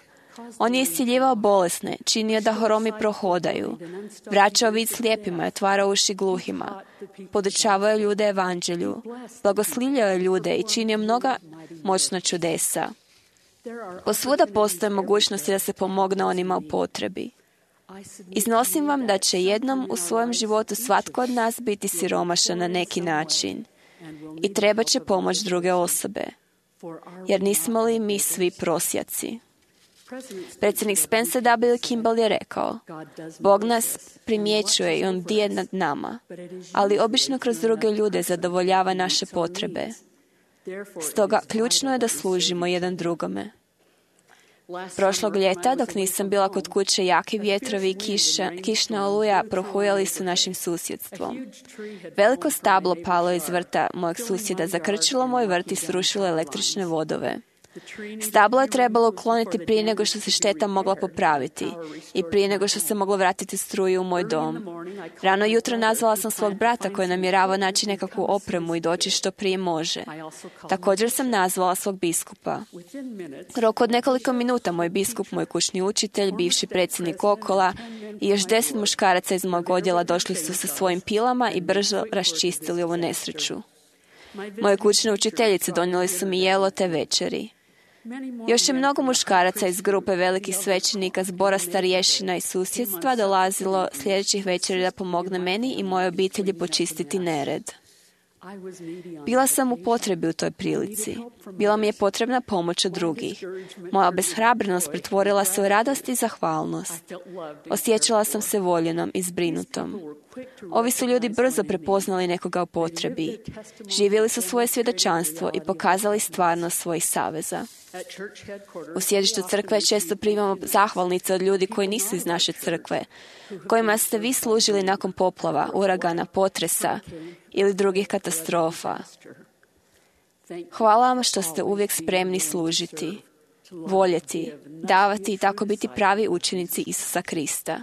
On je isciljivao bolesne, činio da horomi prohodaju, vraćao vid slijepima i otvarao uši gluhima, podučavao je ljude evanđelju, blagoslivljao je ljude i činio mnoga moćna čudesa. Posvuda postoje mogućnosti da se pomogne onima u potrebi. Iznosim vam da će jednom u svojem životu svatko od nas biti siromašan na neki način i treba će pomoć druge osobe, jer nismo li mi svi prosjaci. Predsjednik Spencer W. Kimball je rekao, Bog nas primjećuje i on bdije nad nama, ali obično kroz druge ljude zadovoljava naše potrebe. Stoga ključno je da služimo jedan drugome. Prošlog ljeta, dok nisam bila kod kuće, jaki vjetrovi i kišna oluja prohujali su našim susjedstvom. Veliko stablo palo iz vrta mojeg susjeda, zakrčilo moj vrt i srušilo električne vodove. Stablo je trebalo ukloniti prije nego što se šteta mogla popraviti i prije nego što se moglo vratiti struju u moj dom. Rano jutro nazvala sam svog brata koji namjeravao naći nekakvu opremu i doći što prije može. Također sam nazvala svog biskupa. U roku od nekoliko minuta moj biskup, moj kućni učitelj, bivši predsjednik Okola i još 10 muškaraca iz mog odjela došli su sa svojim pilama i brzo raščistili ovu nesreću. Moje kućne učiteljice donijeli su mi jelo te večeri. Još je mnogo muškaraca iz grupe velikih svećenika, zbora starješina i susjedstva dolazilo sljedećih večeri da pomogne meni i mojoj obitelji počistiti nered. Bila sam u potrebi u toj prilici. Bila mi je potrebna pomoć od drugih. Moja obeshrabrenost pretvorila se u radost i zahvalnost. Osjećala sam se voljenom i zbrinutom. Ovi su ljudi brzo prepoznali nekoga u potrebi. Živjeli su svoje svjedočanstvo i pokazali stvarnost svojih saveza. U sjedištu crkve često primamo zahvalnice od ljudi koji nisu iz naše crkve, kojima ste vi služili nakon poplava, uragana, potresa ili drugih katastrofa. Hvala vam što ste uvijek spremni služiti, voljeti, davati i tako biti pravi učenici Isusa Krista.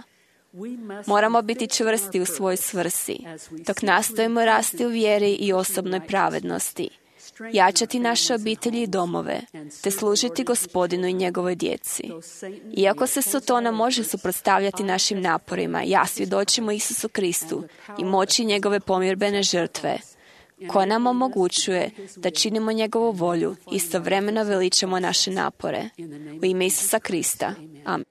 Moramo biti čvrsti u svojoj svrsi, dok nastojimo rasti u vjeri i osobnoj pravednosti, jačati naše obitelji i domove, te služiti Gospodinu i njegovoj djeci. Iako se Sotona može suprotstavljati našim naporima, ja svjedočimo Isusu Kristu i moći njegove pomirbene žrtve, koja nam omogućuje da činimo njegovu volju, istovremeno veličamo naše napore. U ime Isusa Krista. Amen.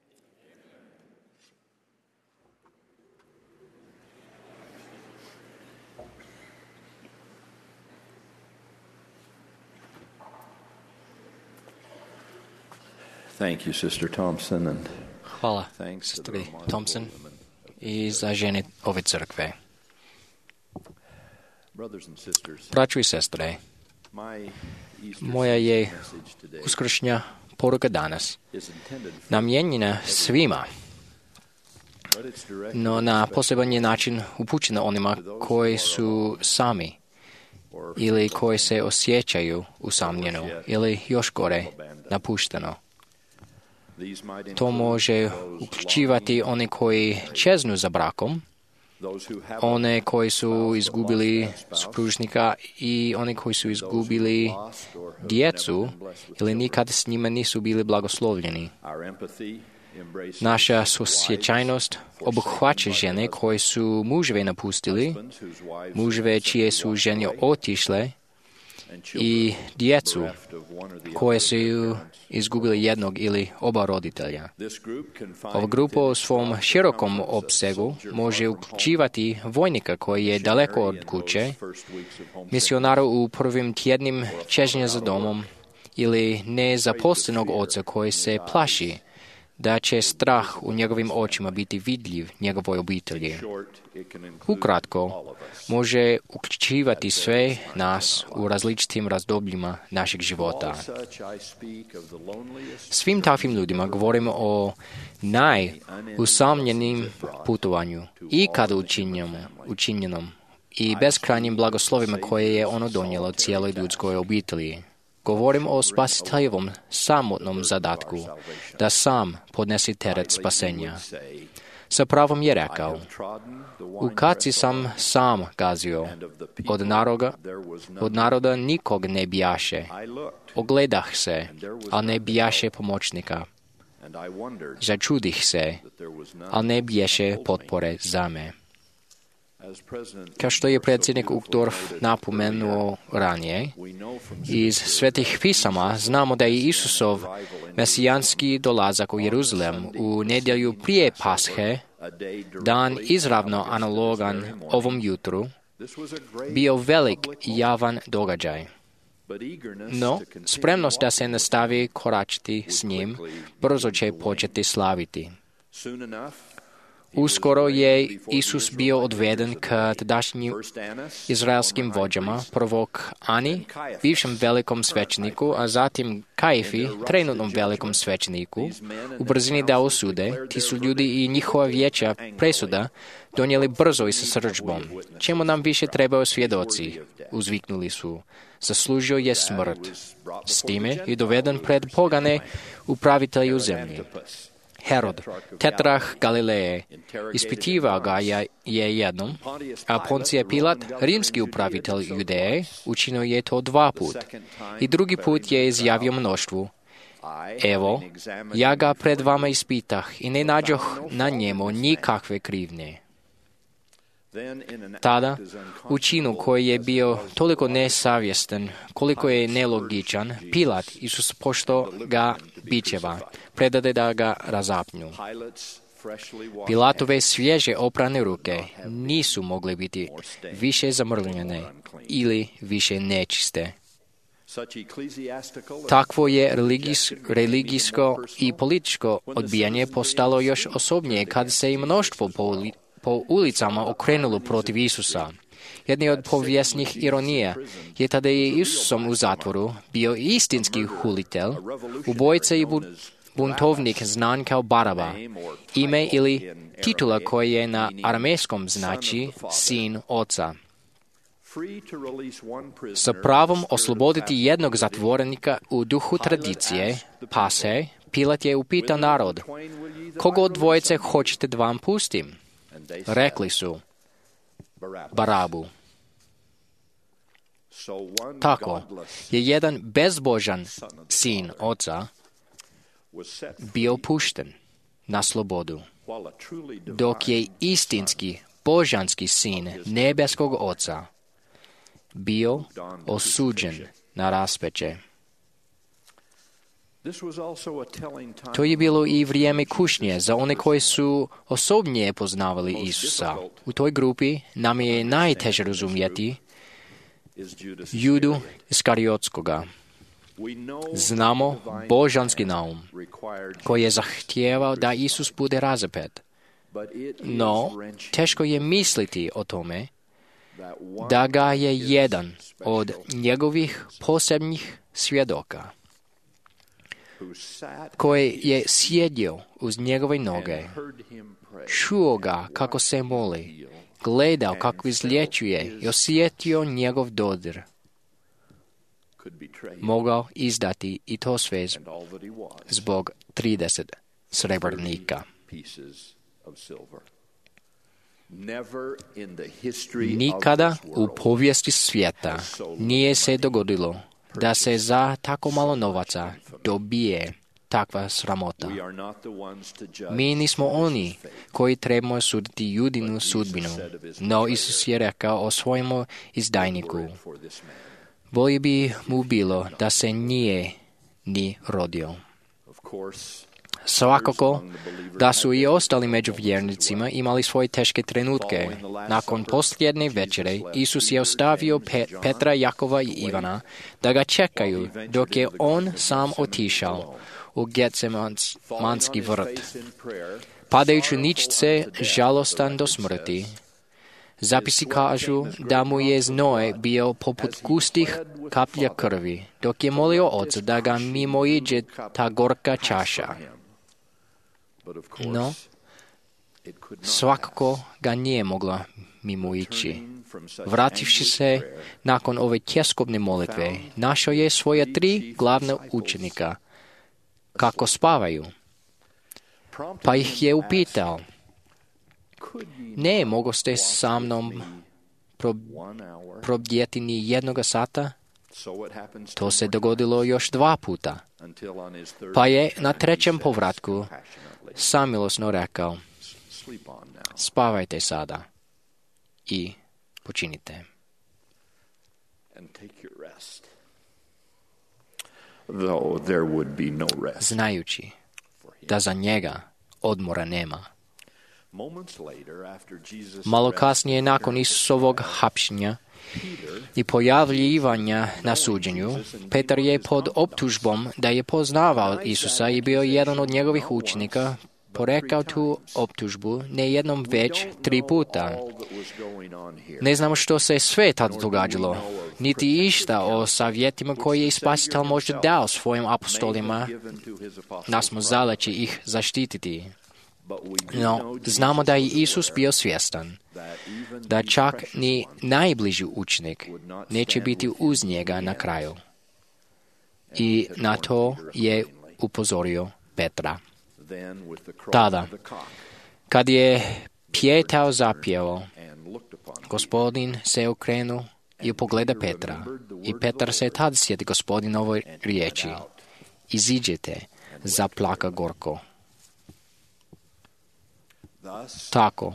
Thank you, Sister Thompson, and hvala, sestri Thompson, i za žene ove crkve. Braćo i sestre, moja je uskršnja poruka danas namijenjena svima, no na poseban je način upućena onima koji su sami ili koji se osjećaju usamljeno ili još gore napušteno. To može uključivati one koji čeznu za brakom, one koji su izgubili supružnika i one koji su izgubili djecu ili nikad s njima nisu bili blagoslovljeni. Naša susjećajnost obuhvaća žene koje su muževe napustili, muževe čije su žene otišle i djecu koje su izgubili jednog ili oba roditelja. Ova grupa u svom širokom opsegu može uključivati vojnika koji je daleko od kuće, misionara u prvim tjednim čežnja za domom ili nezaposlenog oca koji se plaši da će strah u njegovim očima biti vidljiv njegovoj obitelji. Ukratko, može uključivati sve nas u različitim razdobljima našeg života. Svim takvim ljudima govorimo o najusamljenim putovanju i kada učinjenom i beskrajnim blagoslovima koje je ono donijelo cijeloj ljudskoj obitelji. Govorim o spasiteljevom samotnom zadatku, da sam podnesi teret spasenja. Sa pravom je rekao, u kaci sam gazio, od naroda nikog ne bijaše. Ogledah se, a ne bijaše pomoćnika. Začudih se, a ne biješe potpore za me. Kao što je predsjednik Uchtdorf napomenuo ranije, iz svetih pisama znamo da je Isusov mesijanski dolazak u Jeruzalem u nedjelju prije Pashe, dan izravno analogan ovom jutru, bio velik i javan događaj. No, spremnost da se nastavi koračiti s njim, brzo će početi slaviti. Uskoro je Isus bio odveden k tadašnjim izraelskim vođama, prvog Ani, bivšem velikom svećeniku, a zatim Kajfi, trenutnom velikom svećeniku, u brzini da osude. Ti su ljudi i njihova vijeća presuda donijeli brzo i sa srdžbom. Čemu nam više trebaju svjedoci? Uzviknuli su. Zaslužio je smrt. S time je doveden pred pogane upravitelju zemlji. Herod, tetrah Galileje, ispitivao ga je jednom, a Poncije Pilat, rimski upravitelj Judeje, učinio je to 2 put. I drugi put je izjavio mnoštvu, evo, ja ga pred vama ispitah i ne nađoh na njemu nikakve krivnje. Tada, u činu koji je bio toliko nesavjestan, koliko je nelogičan, Pilat, Isus pošto ga bičeva, predade da ga razapnju. Pilatove svježe oprane ruke nisu mogle biti više zamrvljene ili više nečiste. Takvo je religijsko i političko odbijanje postalo još osobnije kad se i mnoštvo po ulicama okrenulo protiv Isusa. Jedna od povijesnih ironija je tada je Isusom u zatvoru bio istinski hulitelj, ubojica i buntovnik znan kao Baraba, ime ili titula koja je na aramejskom znači sin oca. Sa pravom osloboditi jednog zatvorenika u duhu tradicije, Pashe, Pilat je upitao narod, koga od dvojice hoćete da vam pustim? Rekli su, Barabu. Tako je jedan bezbožan sin oca bio pušten na slobodu, dok je istinski božanski sin nebeskog oca bio osuđen na raspeće. To je bilo i vrijeme kušnje za one koji su osobnije poznavali Isusa. U toj grupi nam je najteže razumjeti Judu Iskariotskoga. Znamo božanski naum koji je zahtijevao da Isus bude razapet. No, teško je misliti o tome da ga je jedan od njegovih posebnih svjedoka koji je sjedio uz njegove noge, čuo ga kako se moli, gledao kako izlječuje i osjetio njegov dodir, mogao izdati i to sve zbog 30 srebrnika. Nikada u povijesti svijeta nije se dogodilo da se za tako malo novaca dobije takva sramota. Mi nismo oni koji trebamo suditi Judinu sudbinu, no Isus je rekao o svojemu izdajniku. Bolje bi mu bilo da se nije ni rodio. Svakako da su i ostali među vjernicima imali svoje teške trenutke. Nakon posljednje večere, Isus je ostavio Petra, Jakova i Ivana da ga čekaju dok je on sam otišao u Getsemanski vrt. Padajući nič se žalostan do smrti. Zapisi kažu da mu je znoj bio poput gustih kaplja krvi, dok je molio Oca da ga mimoiđe ta gorka čaša. No, svakako ga nije mogla mimoići. Vrativši se nakon ove tjeskobne molitve, našao je svoja 3 glavna učenika, kako spavaju. Pa ih je upitao, ne mogoste sa mnom probdjeti ni jednoga sata? To se dogodilo još 2 puta. Pa je na 3. povratku samilosno rekao, spavajte sada i počinite. Znajući da za njega odmora nema. Malo kasnije, nakon Isusovog hapšenja i pojavljivanja na suđenju, Petar je pod optužbom da je poznavao Isusa i bio jedan od njegovih učenika, porekao tu optužbu ne jednom već 3 puta. Ne znamo što se sve tada događalo, niti išta o savjetima koje je Spasitelj možda dao svojim apostolima, nas smo zaleći ih zaštititi. No, znamo da je Isus bio svjestan da čak ni najbliži učenik neće biti uz njega na kraju. I na to je upozorio Petra. Tada, kad je pjetao zapjevao, Gospodin se okrenuo i pogleda Petra. I Petar se tad sjeti Gospodinove riječi. Iziđete, zaplaka gorko. Tako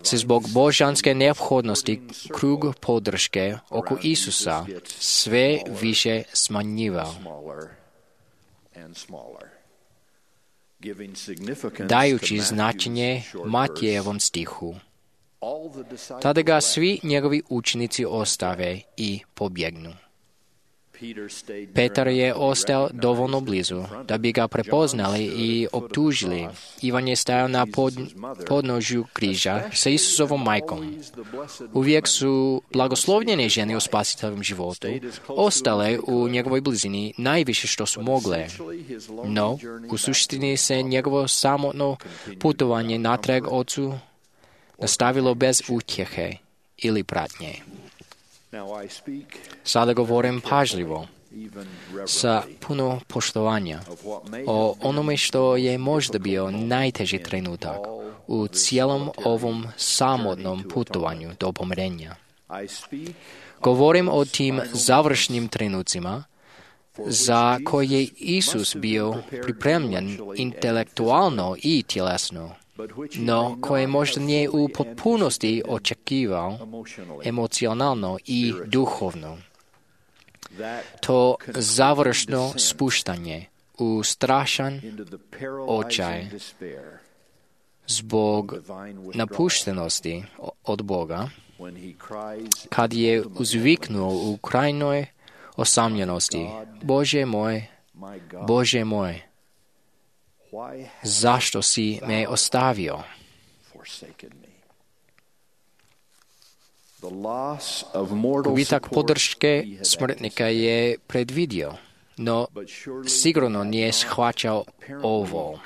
se zbog božanske neophodnosti krug podrške oko Isusa sve više smanjivao, dajući značenje Matijevom stihu. Tada ga svi njegovi učenici ostave i pobjegnu. Petar je ostao dovoljno blizu da bi ga prepoznali i optužili. Ivan je stajao na podnožju križa sa Isusovom majkom. Uvijek su blagoslovljene žene u spasiteljovom životu ostale u njegovoj blizini najviše što su mogle. No, u suštini se njegovo samotno putovanje natrag Ocu nastavilo bez utjehe ili pratnje. Sada govorim pažljivo, sa puno poštovanja, o onome što je možda bio najteži trenutak u cijelom ovom samotnom putovanju do pomirenja. Govorim o tim završnim trenucima za koje je Isus bio pripremljen intelektualno i tjelesno, no koje možda nije u potpunosti očekivao emocionalno i duhovno. To završno spuštanje u strašan očaj zbog napuštenosti od Boga, kad je uzviknuo u krajnoj osamljenosti, Bože moj, zašto si me ostavio? Gubitak podrške smrtnika je predvidio, no sigurno nije shvaćao ovo.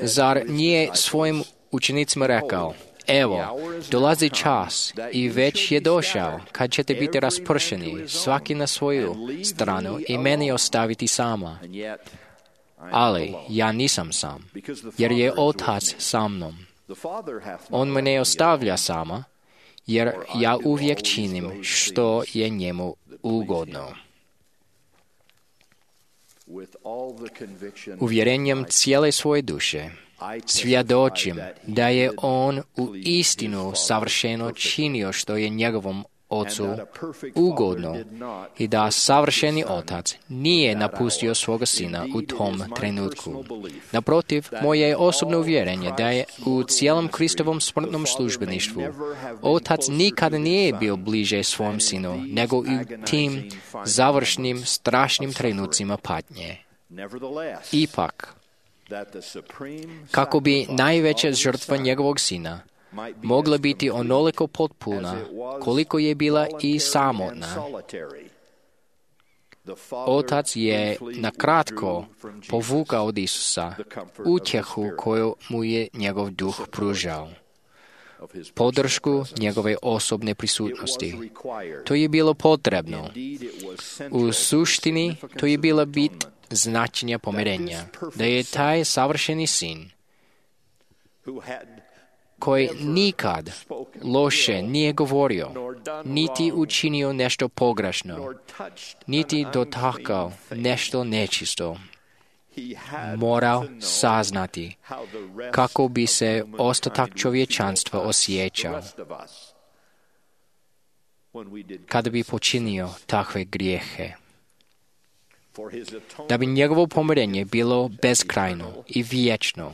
Zar nije svojim učenicima rekao, Evo, dolazi čas i već je došao kad ćete biti raspršeni, svaki na svoju stranu i meni ostaviti sama. Ali ja nisam sam, jer je Otac sa mnom. On me ne ostavlja sama, jer ja uvijek činim što je njemu ugodno. Uvjerenjem cijele svoje duše svjedočim da je on u istinu savršeno činio što je njegovom Ocu ugodno i da savršeni Otac nije napustio svoga Sina u tom trenutku. Naprotiv, moje je osobno uvjerenje da je u cijelom Kristovom smrtnom službeništvu Otac nikada nije bio bliže svom Sinu nego u tim završnim strašnim trenucima patnje. Ipak, kako bi najveća žrtva njegovog Sina mogla biti onoliko potpuna koliko je bila i samotna, Otac je nakratko povukao od Isusa utjehu koju mu je njegov duh pružao, podršku njegove osobne prisutnosti. To je bilo potrebno. U suštini to je bila bit značenja pomirenja, da je taj savršeni Sin, koji nikad loše nije govorio, niti učinio nešto pogrešno, niti dotakao nešto nečisto, morao saznati kako bi se ostatak čovječanstva osjećao kada bi počinio takve grijehe. Da bi njegovo pomirenje bilo beskrajno i vječno,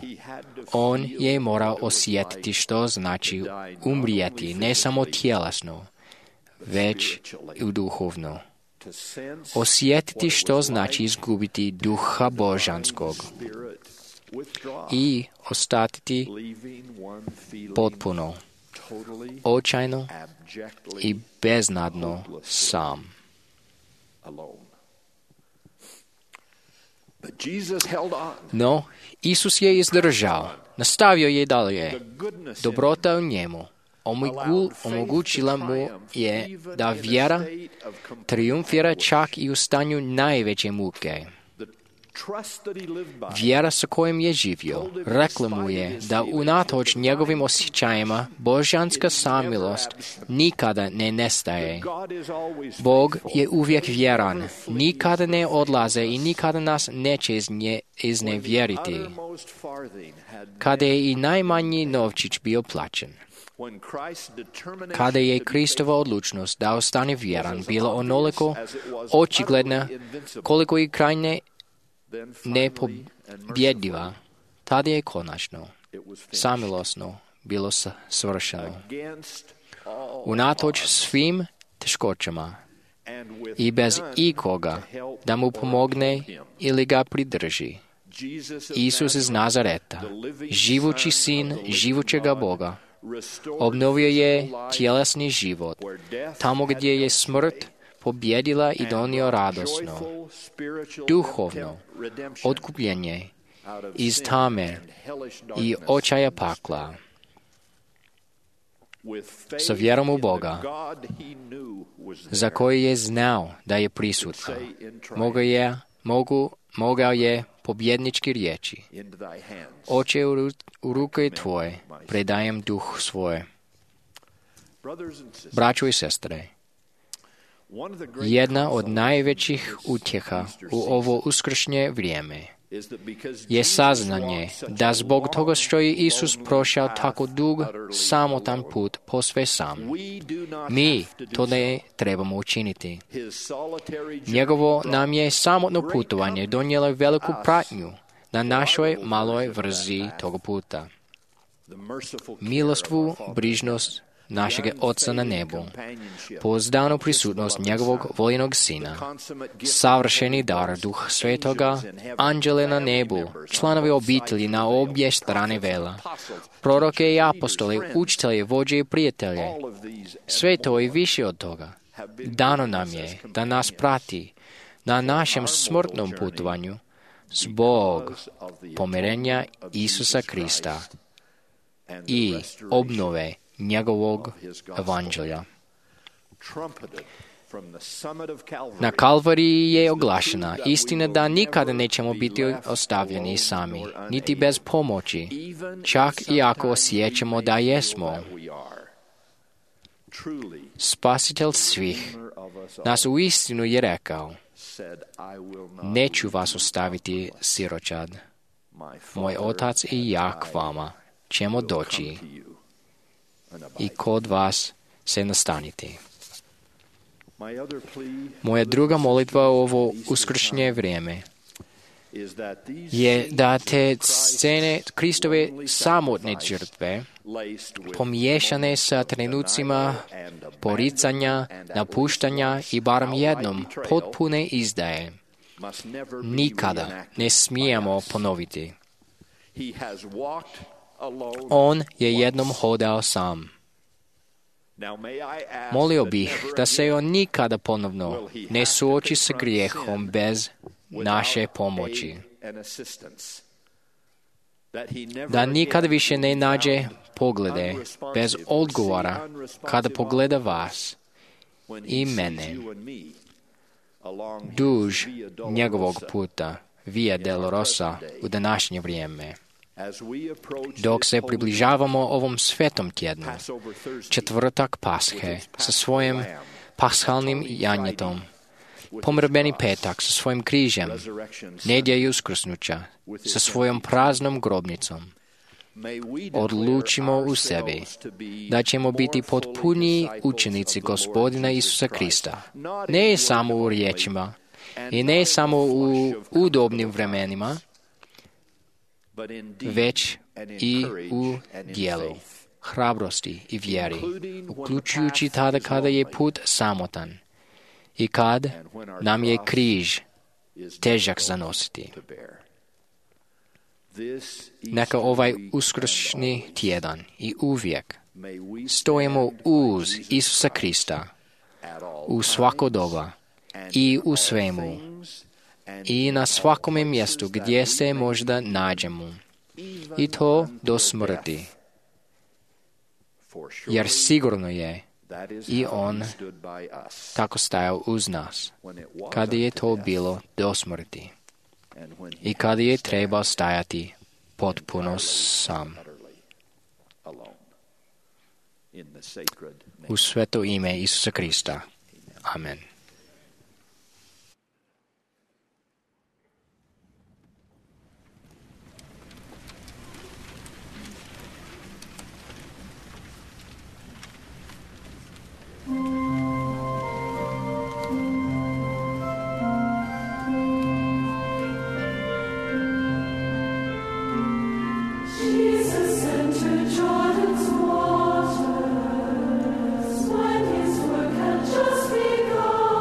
on je morao osjetiti što znači umrijeti ne samo tjelesno, već i duhovno. Osjetiti što znači izgubiti duha božanskog i ostati potpuno, očajno i beznadno sam. No, Isus je izdržao, nastavio je dalje. Dobrota u njemu omogućila mu je da vjera triumfira čak i u stanju najveće muke. Vjera sa kojom je živio rekla mu je da unatoč njegovim osjećajima božanska samilost nikada ne nestaje. Bog je uvijek vjeran, nikada ne odlaze i nikada nas neće iznevjeriti. Kada je i najmanji novčić bio plaćen, kada je Kristova odlučnost da ostane vjeran bila onoliko očigledna koliko i krajnje nepobjediva, tada je konačno, samilosno bilo svršeno. Unatoč svim teškoćama i bez ikoga da mu pomogne ili ga pridrži, Isus iz Nazareta, živući Sin živućega Boga, obnovio je tjelesni život, tamo gdje je smrt pobjedila i donio radosno, duhovno otkupljenje iz tame i očaja pakla. Sa vjerom u Boga, za koji je znao da je prisutan, mogao je pobjednički riječi: Oče, u ruke tvoje predajem duh svoje. Braćo i sestre, jedna od najvećih utjeha u ovo uskršnje vrijeme je saznanje da zbog toga što je Isus prošao tako dug, samotan put posve sam, mi to ne trebamo učiniti. Njegovo nam je samotno putovanje donijelo veliku pratnju na našoj maloj vrzi toga puta. Milostvu, brižnost našeg Oca na nebu, pouzdanu prisutnost njegovog voljenog Sina, savršeni dar Duha Svetoga, anđele na nebu, članovi obitelji na obje strane vela, proroke i apostole, učitelje, vođe i prijatelje. Sve to i više od toga dano nam je da nas prati na našem smrtnom putovanju zbog pomirenja Isusa Krista, i obnove njegovog evanđelja. Na Kalvariji je oglašena istina da nikada nećemo biti ostavljeni sami, niti bez pomoći, čak i ako osjećamo da jesmo. Spasitelj svih nas uistinu je rekao: neću vas ostaviti siročad. Moj otac i ja k vama ćemo doći i kod vas se nastaniti. Moja druga molitva u ovo uskršnje vrijeme je da te scene Kristove samotne žrtve, pomiješane sa trenucima poricanja, napuštanja i barem jednom potpune izdaje, nikada ne smijemo ponoviti. On je jednom hodao sam. Molio bih da se on nikada ponovno ne suoči sa grijehom bez naše pomoći. Da nikada više ne nađe poglede bez odgovora kada pogleda vas i mene duž njegovog puta Via Dolorosa u današnje vrijeme. Dok se približavamo ovom svetom tjednu, četvrtak Pashe sa svojim pashalnim janjetom, pomrbeni petak sa svojim križem, nedjelja i uskrsnuća sa svojom praznom grobnicom, odlučimo u sebi da ćemo biti potpuni učenici Gospodina Isusa Krista, ne samo u riječima i ne samo u udobnim vremenima, već i u dijelu, hrabrosti i vjeri, uključujući tada kada je put samotan i kad nam je križ težak zanositi. Neka ovaj uskršnji tjedan i uvijek stojimo uz Isusa Krista u svako doba i u svemu i na svakome mjestu gdje se možda nađemo, i to do smrti. Jer sigurno je i on tako stajao uz nas, kada je to bilo do smrti i kada je trebao stajati potpuno sam. U sveto ime Isusa Krista. Amen. Jesus entered Jordan's waters when his work had just begun.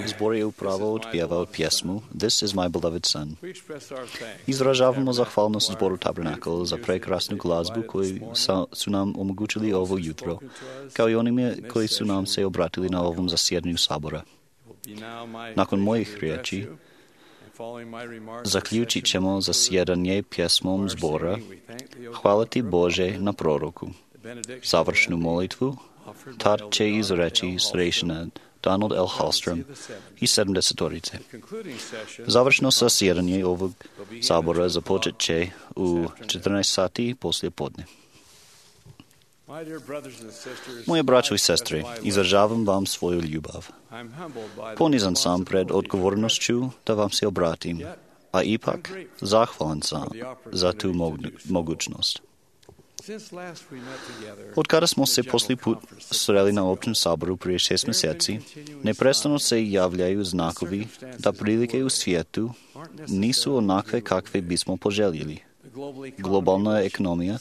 Zbor je upravo otpjevao pjesmu This is my beloved son. Izražavamo zahvalnost zboru Tabernacle za prekrasnu glazbu koju su nam omogućili ovo jutro, kao i onima koji su nam se obratili na ovom zasjedanju sabora. Nakon mojih riječi, zaključit ćemo zasjedanje pjesmom zbora Hvala ti Bože na proroku. Završnu molitvu tad će izreći starešina Donald L. Hallstrom i 70-orice. Završno zasjedanje ovog sabora započet će u 14 sati poslije podne. Moje braćo i sestre, izražavam vam svoju ljubav. Ponizan sam pred odgovornošću da vam se obratim, a ipak zahvalan sam za tu mogućnost. Od kada smo se poslije put sreli na općem saboru prije 6 mjeseci, neprestano se javljaju znakovi da prilike u svijetu nisu onakve kakve bismo poželjeli. Globalna ekonomija,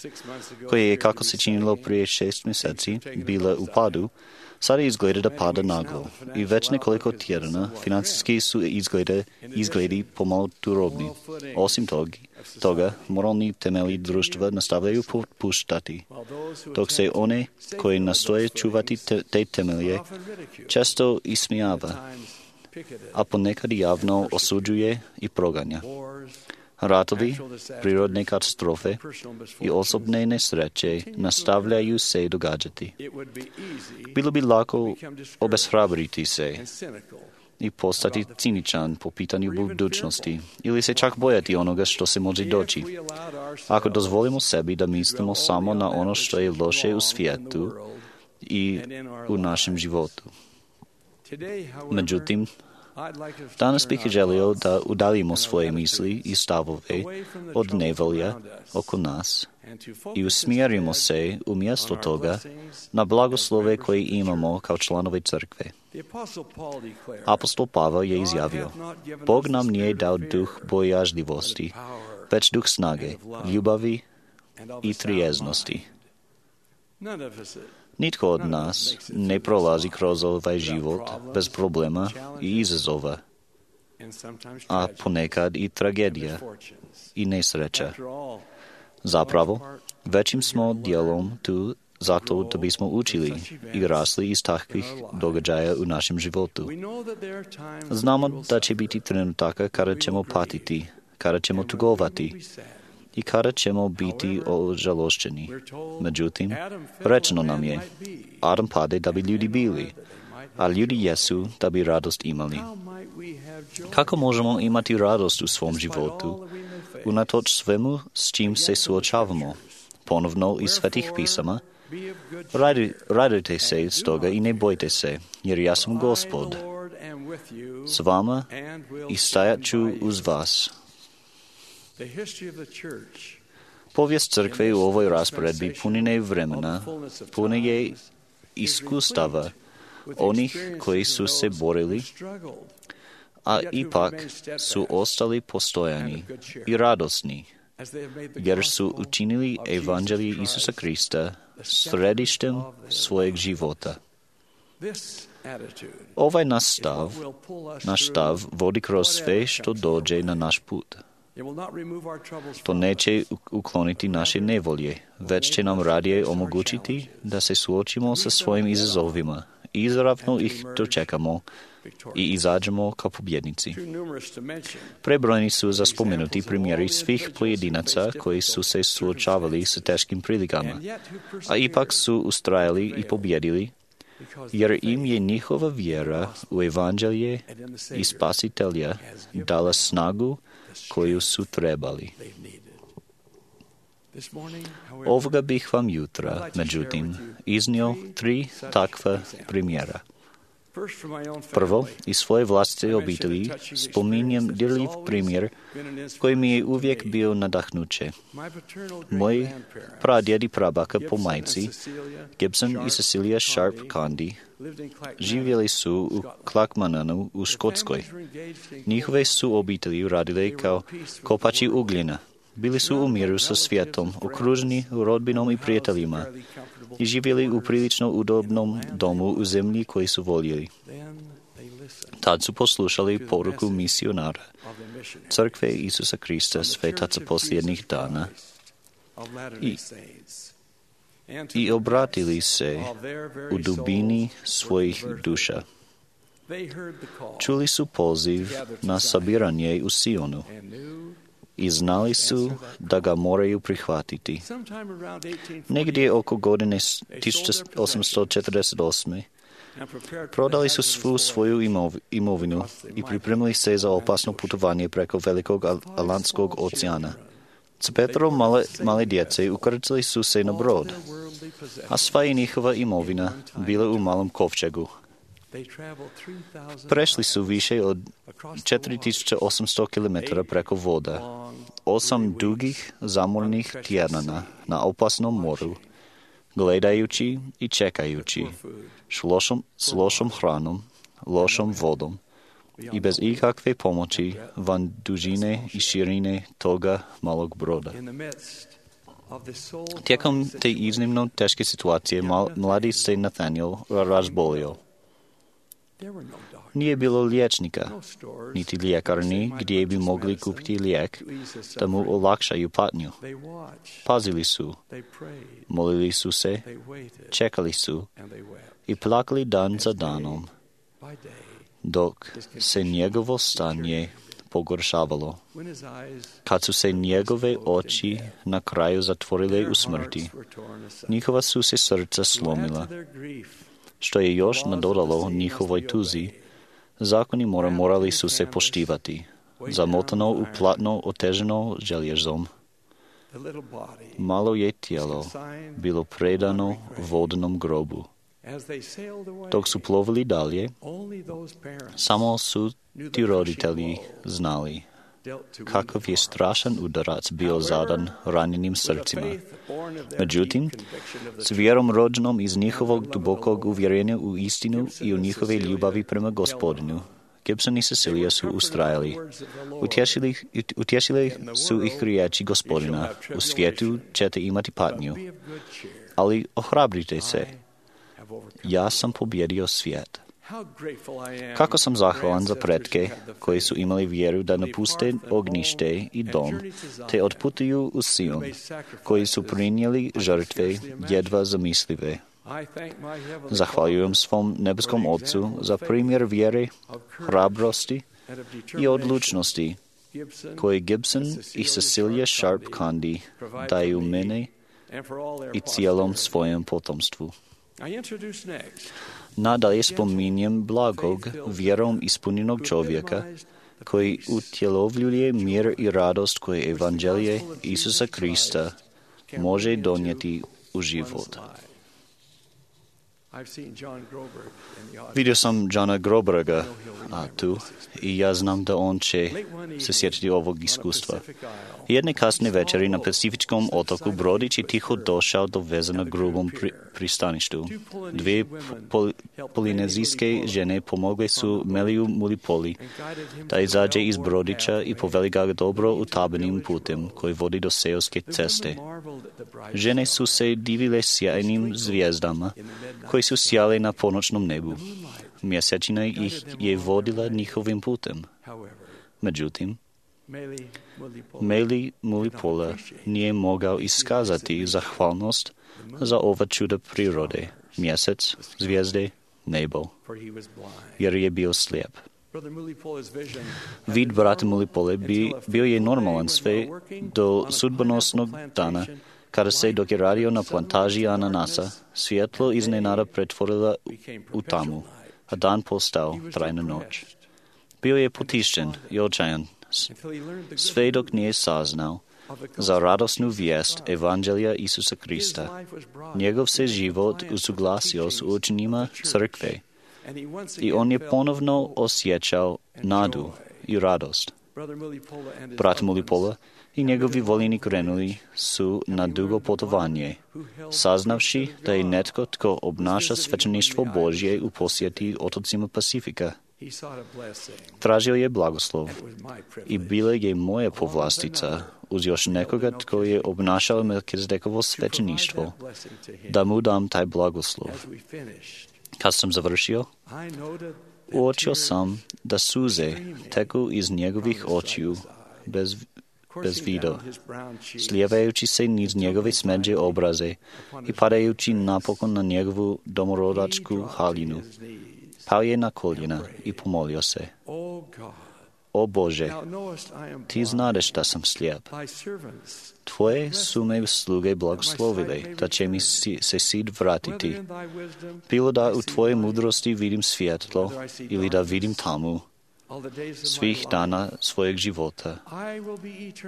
koja je, kako se činilo prije 6 mjeseci, bila u padu, sada izgleda da pada naglo i već nekoliko tjedana financijski su izgledi pomalo turobni. Osim toga, moralni temelji društva nastavljaju popuštati, dok se one koji nastoje čuvati te temelje često ismijava, a ponekad javno osuđuje i proganja. Ratovi, prirodne katastrofe i osobne nesreće nastavljaju se događati. Bilo bi lako obeshrabriti se i postati ciničan po pitanju budućnosti ili se čak bojati onoga što se može doći. Ako dozvolimo sebi da mislimo samo na ono što je loše u svijetu i u našem životu. Međutim, danas bih želio da udaljimo svoje misli i stavove od nevolja oko nas i usmjerimo se umjesto toga na blagoslove koje imamo kao članovi crkve. Apostol Pavao je izjavio, Bog nam nije dao duh bojažljivosti, već duh snage, ljubavi i trijeznosti. Nitko od nas ne prolazi kroz ovaj život bez problema i izazova, a ponekad i tragedija i nesreća. Zapravo, većim smo dijelom tu zato da bismo učili i rasli iz takvih događaja u našem životu. Znamo da će biti trenutaka kada ćemo patiti, kada ćemo tugovati i kada ćemo biti ožalošćeni. Međutim, rečeno nam je, Adam pade da bi ljudi bili, a ljudi jesu da bi radost imali. Kako možemo imati radost u svom životu, unatoč svemu s čim se suočavamo? Ponovno iz Svetih pisama, radujte se stoga i ne bojte se, jer ja sam Gospod s vama i stajat ću uz vas. Povijest crkve u ovoj rasporedbi punine vremena, pune je iskustava onih koji su se borili, a ipak su ostali postojani i radosni, jer su učinili evanđelje Isusa Krista središtem svojeg života. Ovaj naš stav vodi kroz sve što dođe na naš put. To neće ukloniti naše nevolje, već će nam radije omogućiti da se suočimo sa svojim izazovima i izravno ih dočekamo i izađemo kao pobjednici. Prebrojni su za spomenuti primjeri svih pojedinaca koji su se suočavali sa teškim prilikama, a ipak su ustrajali i pobjedili, jer im je njihova vjera u evanđelje i spasitelja dala snagu koju su trebali. Ovoga bih vam jutra, međutim, iznio 3 takva primjera. Prvo, iz svoje vlastite obitelji spominjem dirljiv primjer koji mi je uvijek bio nadahnuće. Moji pradjed i prabaka po majci, Gibson i Cecilia Sharp Condi, živjeli su u Clackmannanu u Škotskoj. Njihove su obitelji radile kao kopači ugljena. Bili su u miru sa svijetom, okruženi rodbinom i prijateljima i živjeli u prilično udobnom domu u zemlji koji su voljeli. Tad su poslušali poruku misionara Crkve Isusa Krista svetaca posljednjih dana i obratili se u dubini svojih duša. Čuli su poziv na sabiranje u Sionu i znali su da ga moraju prihvatiti. Negdje oko godine 1848. prodali su svu svoju imovinu i pripremili se za opasno putovanje preko Velikog Atlantskog oceana. S 5 male djece ukrcali su se na brod, a sva je njihova imovina bila u malom kovčegu. Prešli su više od 4800 km preko voda, 8 dugih zamornih tjedana na opasnom moru, gledajući i čekajući, s lošom hranom, lošom vodom i bez ikakve pomoći van dužine i širine toga malog broda. Tijekom te iznimno teške situacije mladi se Nathaniel razbolio. Nije bilo liječnika, niti ljekarni gdje bi mogli kupiti lijek da mu olakšaju patnju. Pazili su, molili su se, čekali su i plakali dan za danom, dok se njegovo stanje pogoršavalo. Kad su se njegove oči na kraju zatvorile u smrti, njihova su se srca slomila. Što je još nadodalo njihovoj tuzi, zakoni morali su se poštivati, zamotano u platno oteženo željezom. Malo je tijelo bilo predano vodnom grobu. Dok su plovili dalje, samo su ti roditelji znali kakav je strašan udarac bio zadan ranjenim srcima. Međutim, s vjerom rođenom iz njihovog dubokog uvjerenja u istinu i u njihove ljubavi prema Gospodinu, Gibson i Cecilia su ustrajali. Utješili su ih riječi Gospodina: u svijetu ćete imati patnju, ali ohrabrite se, ja sam pobjedio svijet. Kako sam zahvalan za pretke koji su imali vjeru da napuste ognjište i dom, te otputuju u Sion, koji su prinijeli žrtve jedva zamislive. Zahvaljujem svom nebeskom Otcu za primjer vjere, hrabrosti i odlučnosti koji Gibson i Cecilia Sharp Candy daju mene i cijelom svojem potomstvu. Nadalje spominjem blagog, vjerom ispunjenog čovjeka koji utjelovljuje mir i radost koje evanđelje Isusa Krista može donijeti u život. Vidio sam Johna Groberga tu i ja znam da on će se sjetiti ovog iskustva. Jedne kasne večeri na Pacifičkom otoku brodić je tiho došao do veza na grubom pristaništu. 2 polinezijske žene pomogle su Meliju Mulipoli da izađe iz brodića i poveli ga dobro utabenim putem koji vodi do seoske ceste. Žene su se divile sjajnim zvijezdama koji su sjale na ponoćnom nebu. Mjesečina ih je vodila njihovim putem. Međutim, Meli Mulipola nije mogao iskazati zahvalnost za ova čuda prirode, mjesec, zvijezde, nebo, jer je bio slijep. Vid brata Mulipole bio je normalan sve do sudbonosnog dana, kada se, dok je radio na plantaži ananasa, svjetlo iznenada pretvorila u tamu, a dan postao trajna noć. Bio je potišćen i očajan, sve dok nije saznao za radosnu vijest evanđelja Isusa Krista. Njegov se život usuglasio s učenjima crkve i on je ponovno osjećao nadu i radost. Brat Mulipola i njegovi voljeni krenuli su na dugo putovanje, saznavši da je netko tko obnaša svećeništvo Božje u posjeti otocima Pacifika. Tražio je blagoslov i bila je moja povlastica uz još nekoga tko je obnašao Melkizedekovo svećeništvo, da mu dam taj blagoslov. Kad sam završio, Uočio sam da suze teku iz njegovih očiju bez vido, slijevajući se niz njegove smeđe obraze i padajući napokon na njegovu domorodačku haljinu. Pao je na koljena i pomolio se. O Bože, ti znadeš da sam slijep. Tvoje su me sluge blagoslovile, da će mi se sid vratiti. Bilo da u Tvoje mudrosti vidim svjetlo ili da vidim tamu, svih dana svojeg života.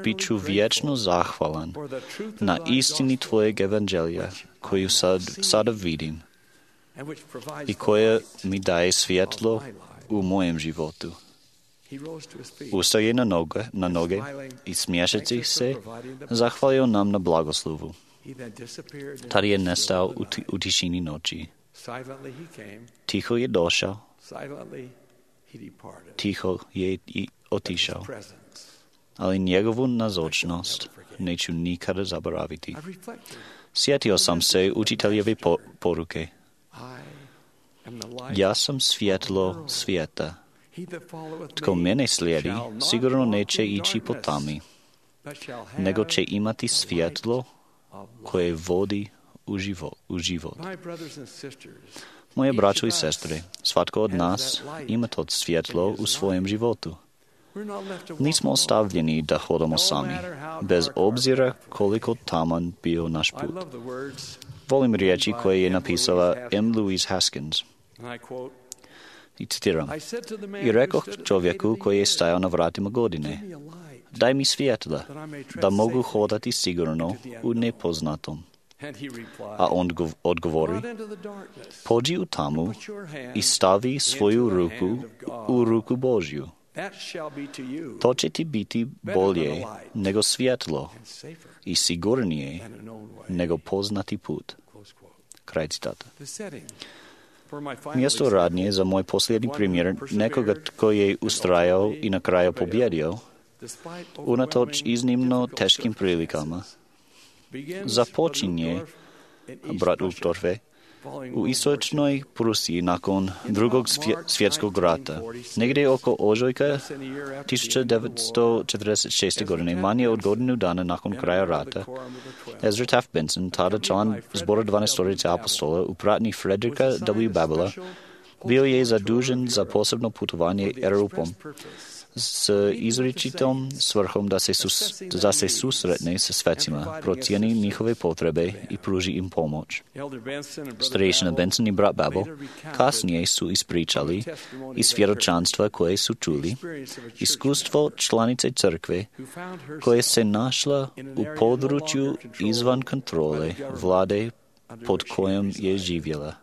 Biću vječno zahvalan na istini Tvojeg evanđelja, koju sada vidim i koja mi daje svjetlo u mojem životu. Ustao je na noge i smiješeći se zahvalio nam na blagoslovu. Tad je nestao u tišini noći. Tiho je došao, tiho je i otišao. Ali njegovu nazočnost neću nikada zaboraviti. Sjetio sam se učiteljeve poruke. Ja sam svjetlo svijeta. Tko mene slijedi, sigurno neće ići po tami, nego će imati svjetlo koje vodi u život. Moje braćo i sestre, svatko od nas ima to svjetlo u svojem životu. Nismo ostavljeni da hodamo sami, bez obzira koliko taman bio naš put. Volim riječi koje je napisala M. Louise Haskins. I citiram: I rekoh čovjeku koji je stajao na vratima godine, daj mi svjetla, da mogu hodati sigurno u nepoznatom. A on odgovori, pođi u tamu i stavi svoju ruku u ruku Božju. To će ti biti bolje nego svjetlo i sigurnije nego poznati put. Kraj citata. Mjesto radnje za moj posljednji primjer nekoga tko je ustrajao i na kraju pobjedio, unatoč iznimno teškim prilikama. Započinje, brat Uchtdorfe, u istočnoj Prusiji nakon Drugog svjetskog rata. Negdje oko ožujka 1946. godine, manje od godinu dana nakon kraja rata, Ezra Taft Benson, tada član zbora 12 apostola u pratnji Fredrika W. Babela, bio je zadužen za posebno putovanje Europom s izričitom svrhom da se susretne sa svecima, procijeni njihove potrebe i pruži im pomoć. Starešina Benson i brat Babel kasnije su ispričali iz svjedočanstva koje su čuli iskustvo članice crkve koje se našla u području izvan kontrole vlade pod kojom je živjela.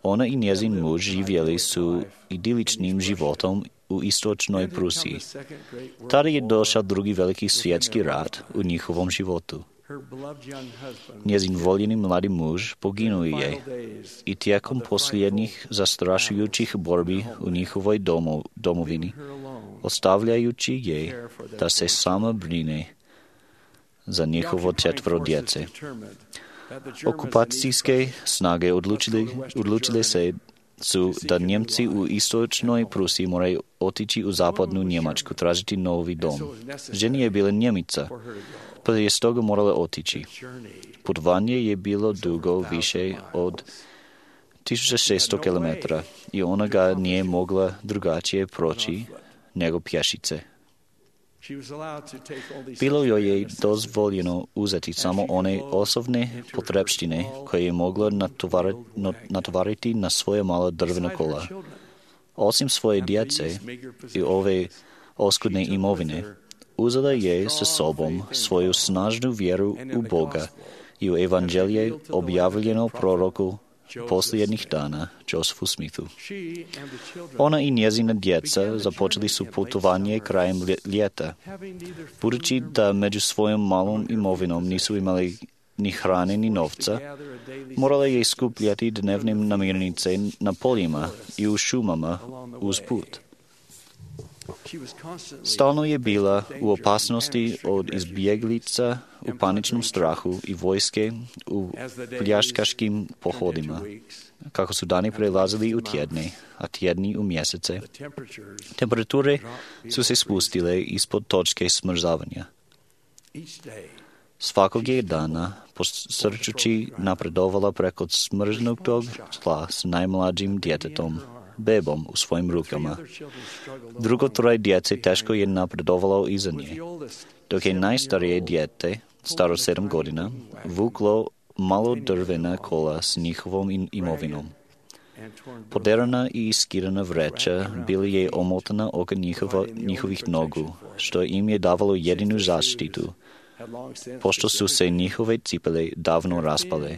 Ona i njezin muž živjeli su idiličnim životom u istočnoj Prusiji. Tada je došao drugi veliki svjetski rat u njihovom životu. Njezin voljeni mladi muž poginuo je i tijekom posljednjih zastrašujućih borbi u njihovoj domovini, ostavljajući je da se sama brine za njihovo 4 djece. Okupacijske snage odlučile se da Njemci u istočnoj Prusiji moraju otići u zapadnu Njemačku, tražiti novi dom. Ženi je bila Njemica, pa je stoga morala otići. Putovanje je bilo dugo više od 1600 km i ona ga nije mogla drugačije proći nego pješice. Bilo joj je dozvoljeno uzeti samo one osobne potrebštine koje je mogla natovariti na svoje mala drvena kola. Osim svoje djece i ove oskudne imovine, uzela je sa sobom svoju snažnu vjeru u Boga i u evanđelje objavljeno proroku posljednjih dana, Josephu Smithu. Ona i njezina djeca započeli su putovanje krajem ljeta. Budući da među svojom malom imovinom nisu imali ni hrane ni novca, morala je skupljati dnevne namirnice na poljima i u šumama uz put. Stalno je bila u opasnosti od izbjeglica u paničnom strahu i vojske u pljačkaškim pohodima. Kako su dani prelazili u tjedne, a tjedni u mjesece, temperature su se spustile ispod točke smrzavanja. Svakog je dana posrčući napredovala preko smrznutog tla s najmlađim djetetom, bebom u svojim rukama. Drugo troje djece teško je napredovalo iza nje, dok je najstarije dijete, staro 7 godina, vuklo malo drvena kola s njihovom imovinom. Poderana i iskidana vreća bili je omotana oko njihovih nogu, što im je davalo jedinu zaštitu, pošto su se njihove cipele davno raspale.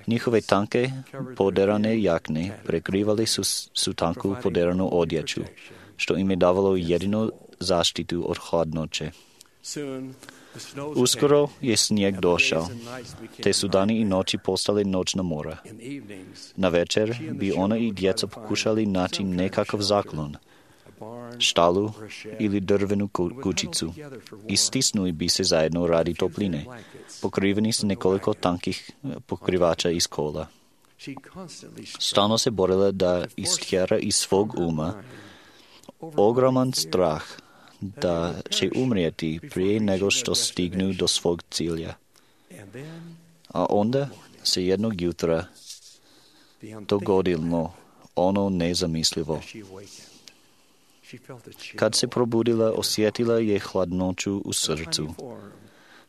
Njihove tanke poderane jakne prekrivali su tanku poderanu odjeću, što im je davalo jedinu zaštitu od hladnoće. Uskoro je snijeg došao, te su dani i noći postale noćna mora. Na večer bi ona i djeca pokušali naći nekakav zaklon, štalu ili drvenu kućicu i stisnuli bi se zajedno radi topline, pokriveni s nekoliko tankih pokrivača iz kola. Stalno se borila da istjera iz svog uma ogroman strah da će umrijeti prije nego što stignu do svog cilja. A onda se jednog jutra dogodilo ono nezamislivo. Kad se probudila, osjetila je hladnoću u srcu.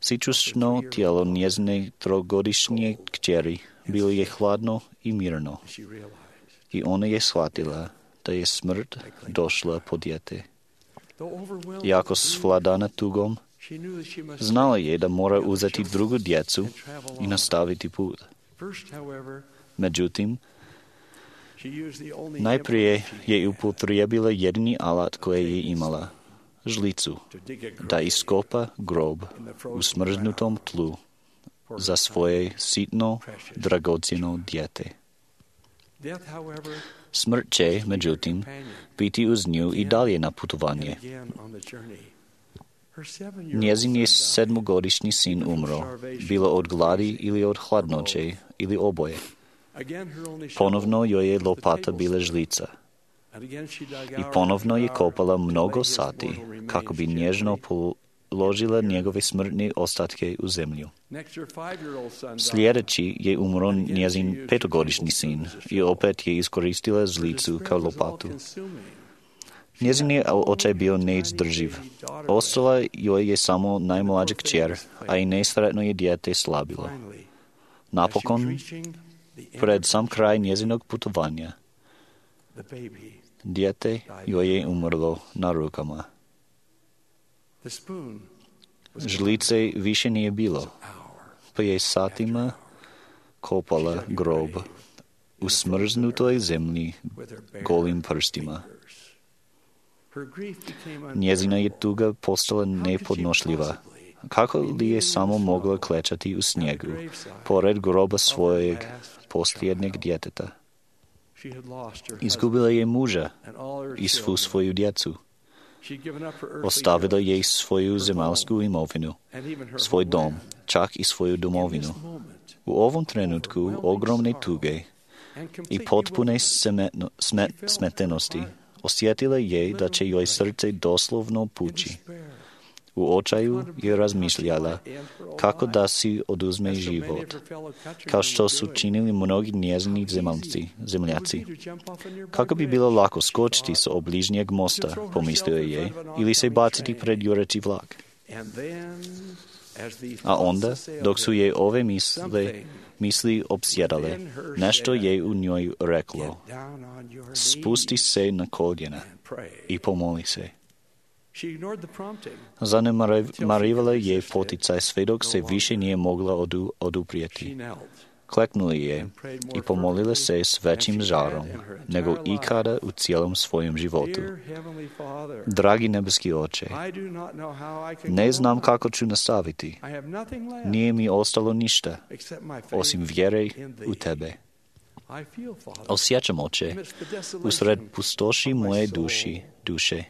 Sičušno tijelo njezine trogodišnje kćeri bilo je hladno i mirno. I ona je shvatila da je smrt došla po dijete. Jako svladana tugom, znala je da mora uzeti drugu djecu i nastaviti put. Međutim, najprije je upotrijebila jedini alat koje je imala, žlicu, da iskopa grob u smrznutom tlu za svoje sitno, dragocjeno dijete. Smrt će, međutim, biti uz nju i dalje na putovanje. Njezin je 7-godišnji sin umro, bilo od gladi ili od hladnoće ili oboje. Ponovno joj je lopata bila žlica. I ponovno je kopala mnogo sati kako bi nježno položila njegove smrtne ostatke u zemlju. Sljedeći je umro njezin 5-godišnji sin i opet je iskoristila žlicu kao lopatu. Njezin je očaj bio neizdrživ. Ostala joj je samo najmlađa kćer, a i nesretno je dijete slabilo. Napokon, pred sam kraj njezinog putovanja, dijete joj je umrlo na rukama. Žlice više nije bilo, pa je satima kopala grob u smrznutoj zemlji golim prstima. Njezina je tuga postala nepodnošljiva. Kako li je samo mogla klečati u snijegu, pored groba svojeg posljednjeg djeteta? Izgubila je muža i svu svoju djecu. Ostavila je svoju zemaljsku imovinu, svoj dom, čak i svoju domovinu. U ovom trenutku ogromne tuge i potpune smetenosti osjetila je da će joj srce doslovno pući. U očaju je razmišljala kako da si oduzme život, kao što su činili mnogi njezini zemljaci. Kako bi bilo lako skočiti s obližnjeg mosta, pomislila je, ili se baciti pred jureći vlak. A onda, dok su je ove misli opsjedale, nešto je u njoj reklo: spusti se na koljena i pomoli se. Zanemarivala je poticaj sve dok se više nije mogla oduprijeti. Kleknula je i pomolila se s većim žarom nego ikada u cijelom svojem životu. Dragi nebeski Oče, ne znam kako ću nastaviti. Nije mi ostalo ništa, osim vjere u Tebe. Osjećam, Oče, usred pustoši moje duše,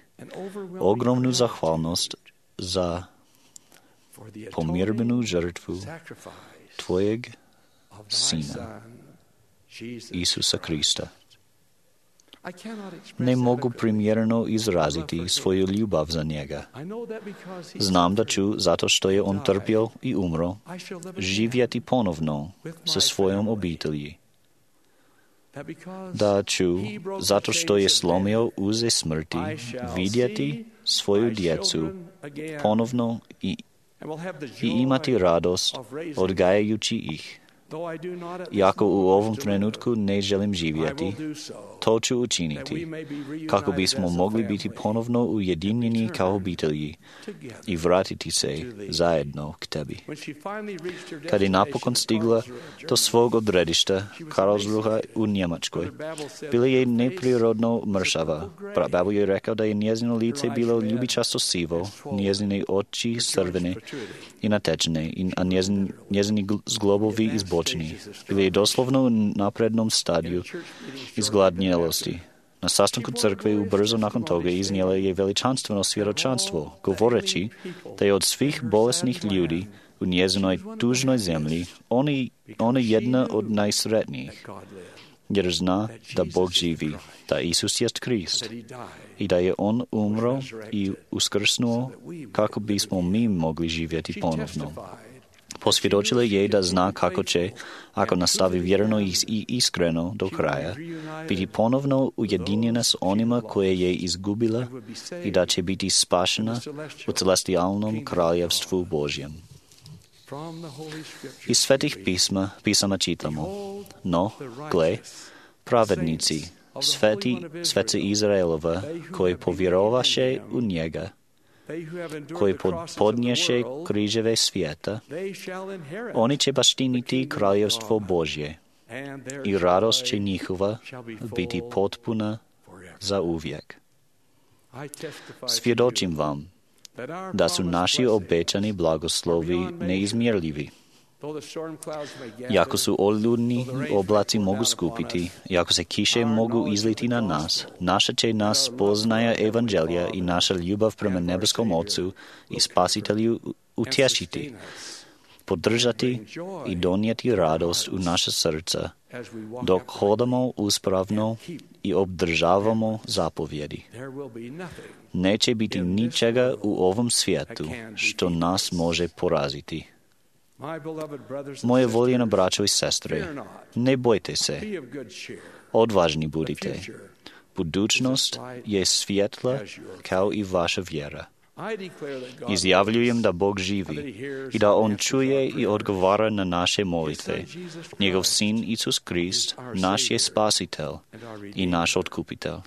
ogromnu zahvalnost za pomirbenu žrtvu Tvojeg Sina, Isusa Krista. Ne mogu primjerno izraziti svoju ljubav za njega. Znam da ću, zato što je on trpio i umro, živjeti ponovno sa svojom obitelji. Da ću, zato što je slomio uze smrti, vidjeti svoju djecu ponovno i imati radost odgajajući ih. Iako u ovom trenutku ne želim živjeti, to ću učiniti, kako bismo mogli biti ponovno ujedinjeni kao obitelji i vratiti se zajedno k tebi. Kad je napokon stigla do svog odredišta, Karlsruhe u Njemačkoj, bila je neprirodno mršava. Babo je rekao da je njezino lice bilo ljubičasto sivo, njezine oči crvene i natečene, a njezini zglobovi izbočeni. Bila je doslovno u naprednom stadiju izgladnjelosti. Na sastanku crkve ubrzo nakon toga iznijela je veličanstveno svjedočanstvo, govoreći da je od svih bolesnih ljudi u njezinoj tužnoj zemlji ona jedna od najsretnijih, jer zna da Bog živi, da Isus jest Krist i da je On umro i uskrsnuo kako bismo mi mogli živjeti ponovno. Posvjedočila je da zna kako će, ako nastavi vjerno i iskreno do kraja, biti ponovno ujedinjena s onima koje je izgubila i da će biti spašena u celestijalnom kraljevstvu Božjem. Iz svetih pisama čitamo, no, gle, pravednici, sveci Izraelova, koji povjerovaše u njega, koji podnješe križeve svijeta, oni će baštiniti kraljevstvo Božje i radost će njihova biti potpuna za uvijek. Svjedočim vam da su naši obećani blagoslovi neizmjerljivi. Iako su oludni oblaci mogu skupiti, iako se kiše mogu izliti na nas, naša će nas spoznaja evanđelja i naša ljubav prema nebeskom Ocu i Spasitelju utješiti, podržati i donijeti radost u naša srca, dok hodamo uspravno i obdržavamo zapovjedi. Neće biti ničega u ovom svijetu što nas može poraziti. Moje voljeno braćo i sestre, ne bojte se, odvažni budite. Budućnost je svjetla kao i vaša vjera. Izjavljujem da Bog živi i da On čuje i odgovara na naše molitve. Njegov Sin Isus Krist, naš je Spasitelj i naš Otkupitelj.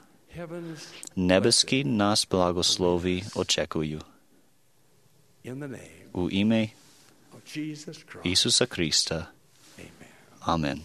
Nebeski nas blagoslovi očekuju. U ime Isusa Krista. Amen.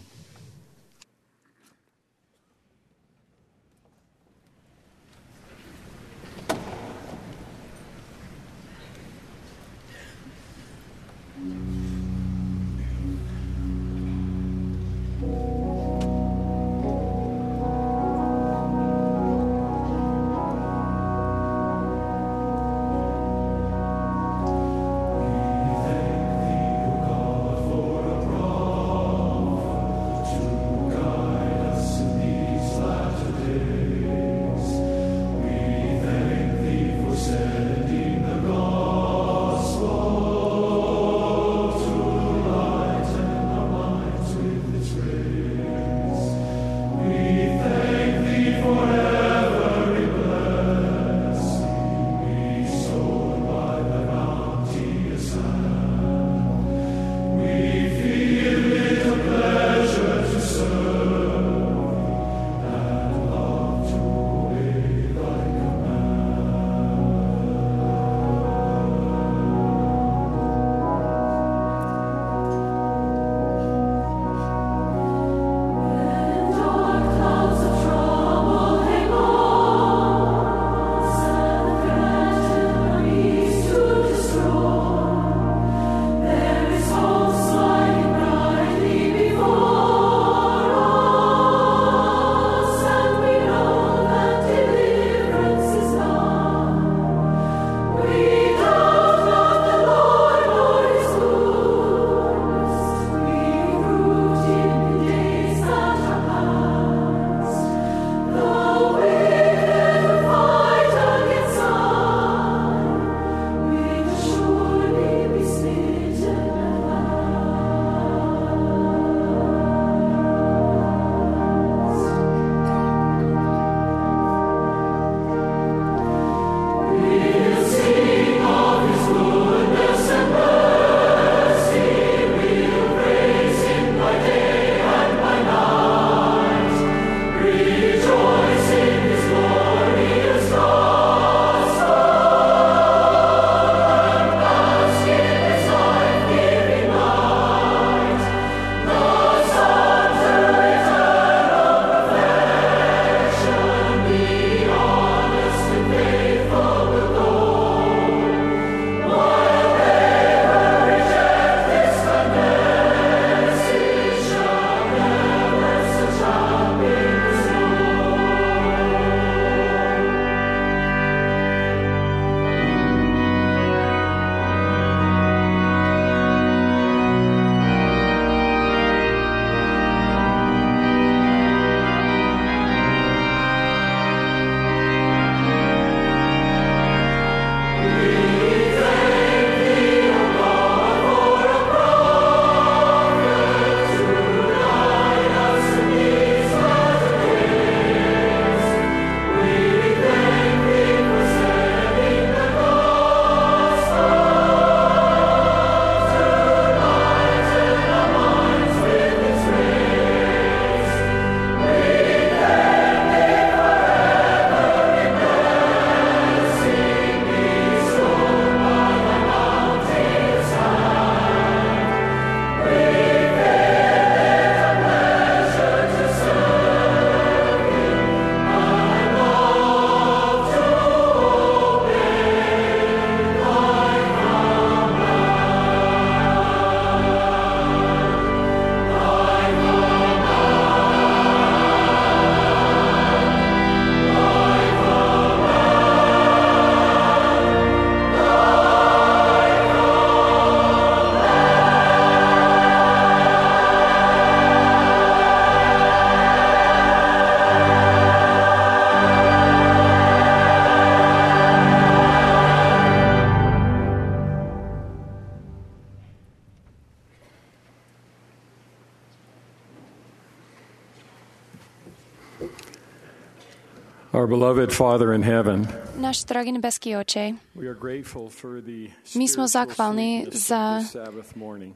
Our beloved Father in heaven, Náš drahý nebeský Oče, we are grateful for the my sme zachvalní sweetness za of the Sabbath morning.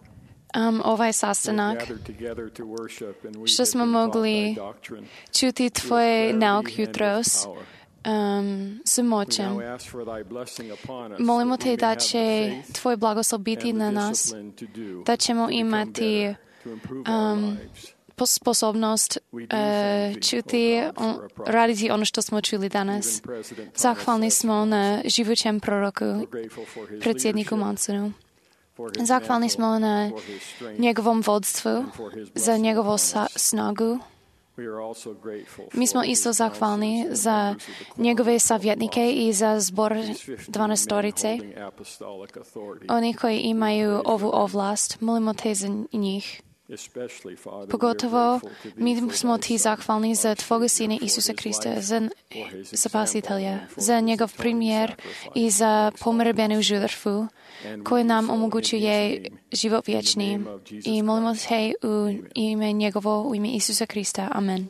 ovaj We've sastanak, gathered together to worship and we že have sme been taught mogli thy doctrine. čuti Tvoje nauk jutros s We močem. now ask for thy blessing upon us, Molimo that te we may da have će the faith Tvoje blagoslov biti and the na nas, discipline to do, da ćemo to become imati better, to improve our lives. sposobnost čuti, raditi ono što smo čuli danas. Zahvalni smo na živućem proroku, predsjedniku Mansonu. Zahvalni smo na njegovom vodstvu, za njegovu snagu. Mi smo isto zahvalni za njegove savjetnike i za zbor 12-torice. Oni koji imaju ovu ovlast, molimo te za njih. Pogotovo mi smo ti zahvalni za Tvoga Sina Isusa Krista, za Spasitelja, za njegov primjer i za pomrbenu žrtvu koji nam omogućuje život vječni. I molimo te u ime njegovo, u ime Isusa Krista. Amen.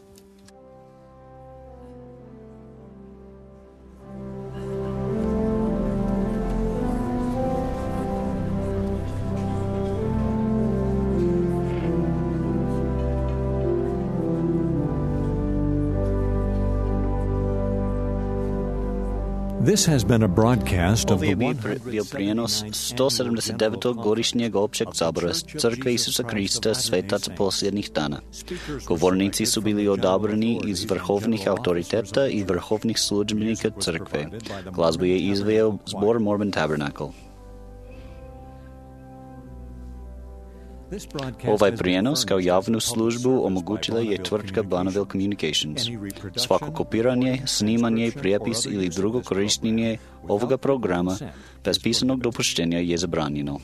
This has been a broadcast of Ovo the je bio prijenos 179. godišnjeg općeg sabora Crkve Isusa Krista svetaca posljednjih dana. Govornici su bili odabrani iz vrhovnih autoriteta i vrhovnih službenika Crkve. Glazbu je izveo zbor Mormon Tabernacle. Ovaj prijenos kao javnu službu omogućila je tvrtka Bonneville Communications. Svako kopiranje, snimanje, prijepis ili drugo korištenje ovoga programa bez pisanog dopuštenja je zabranjeno.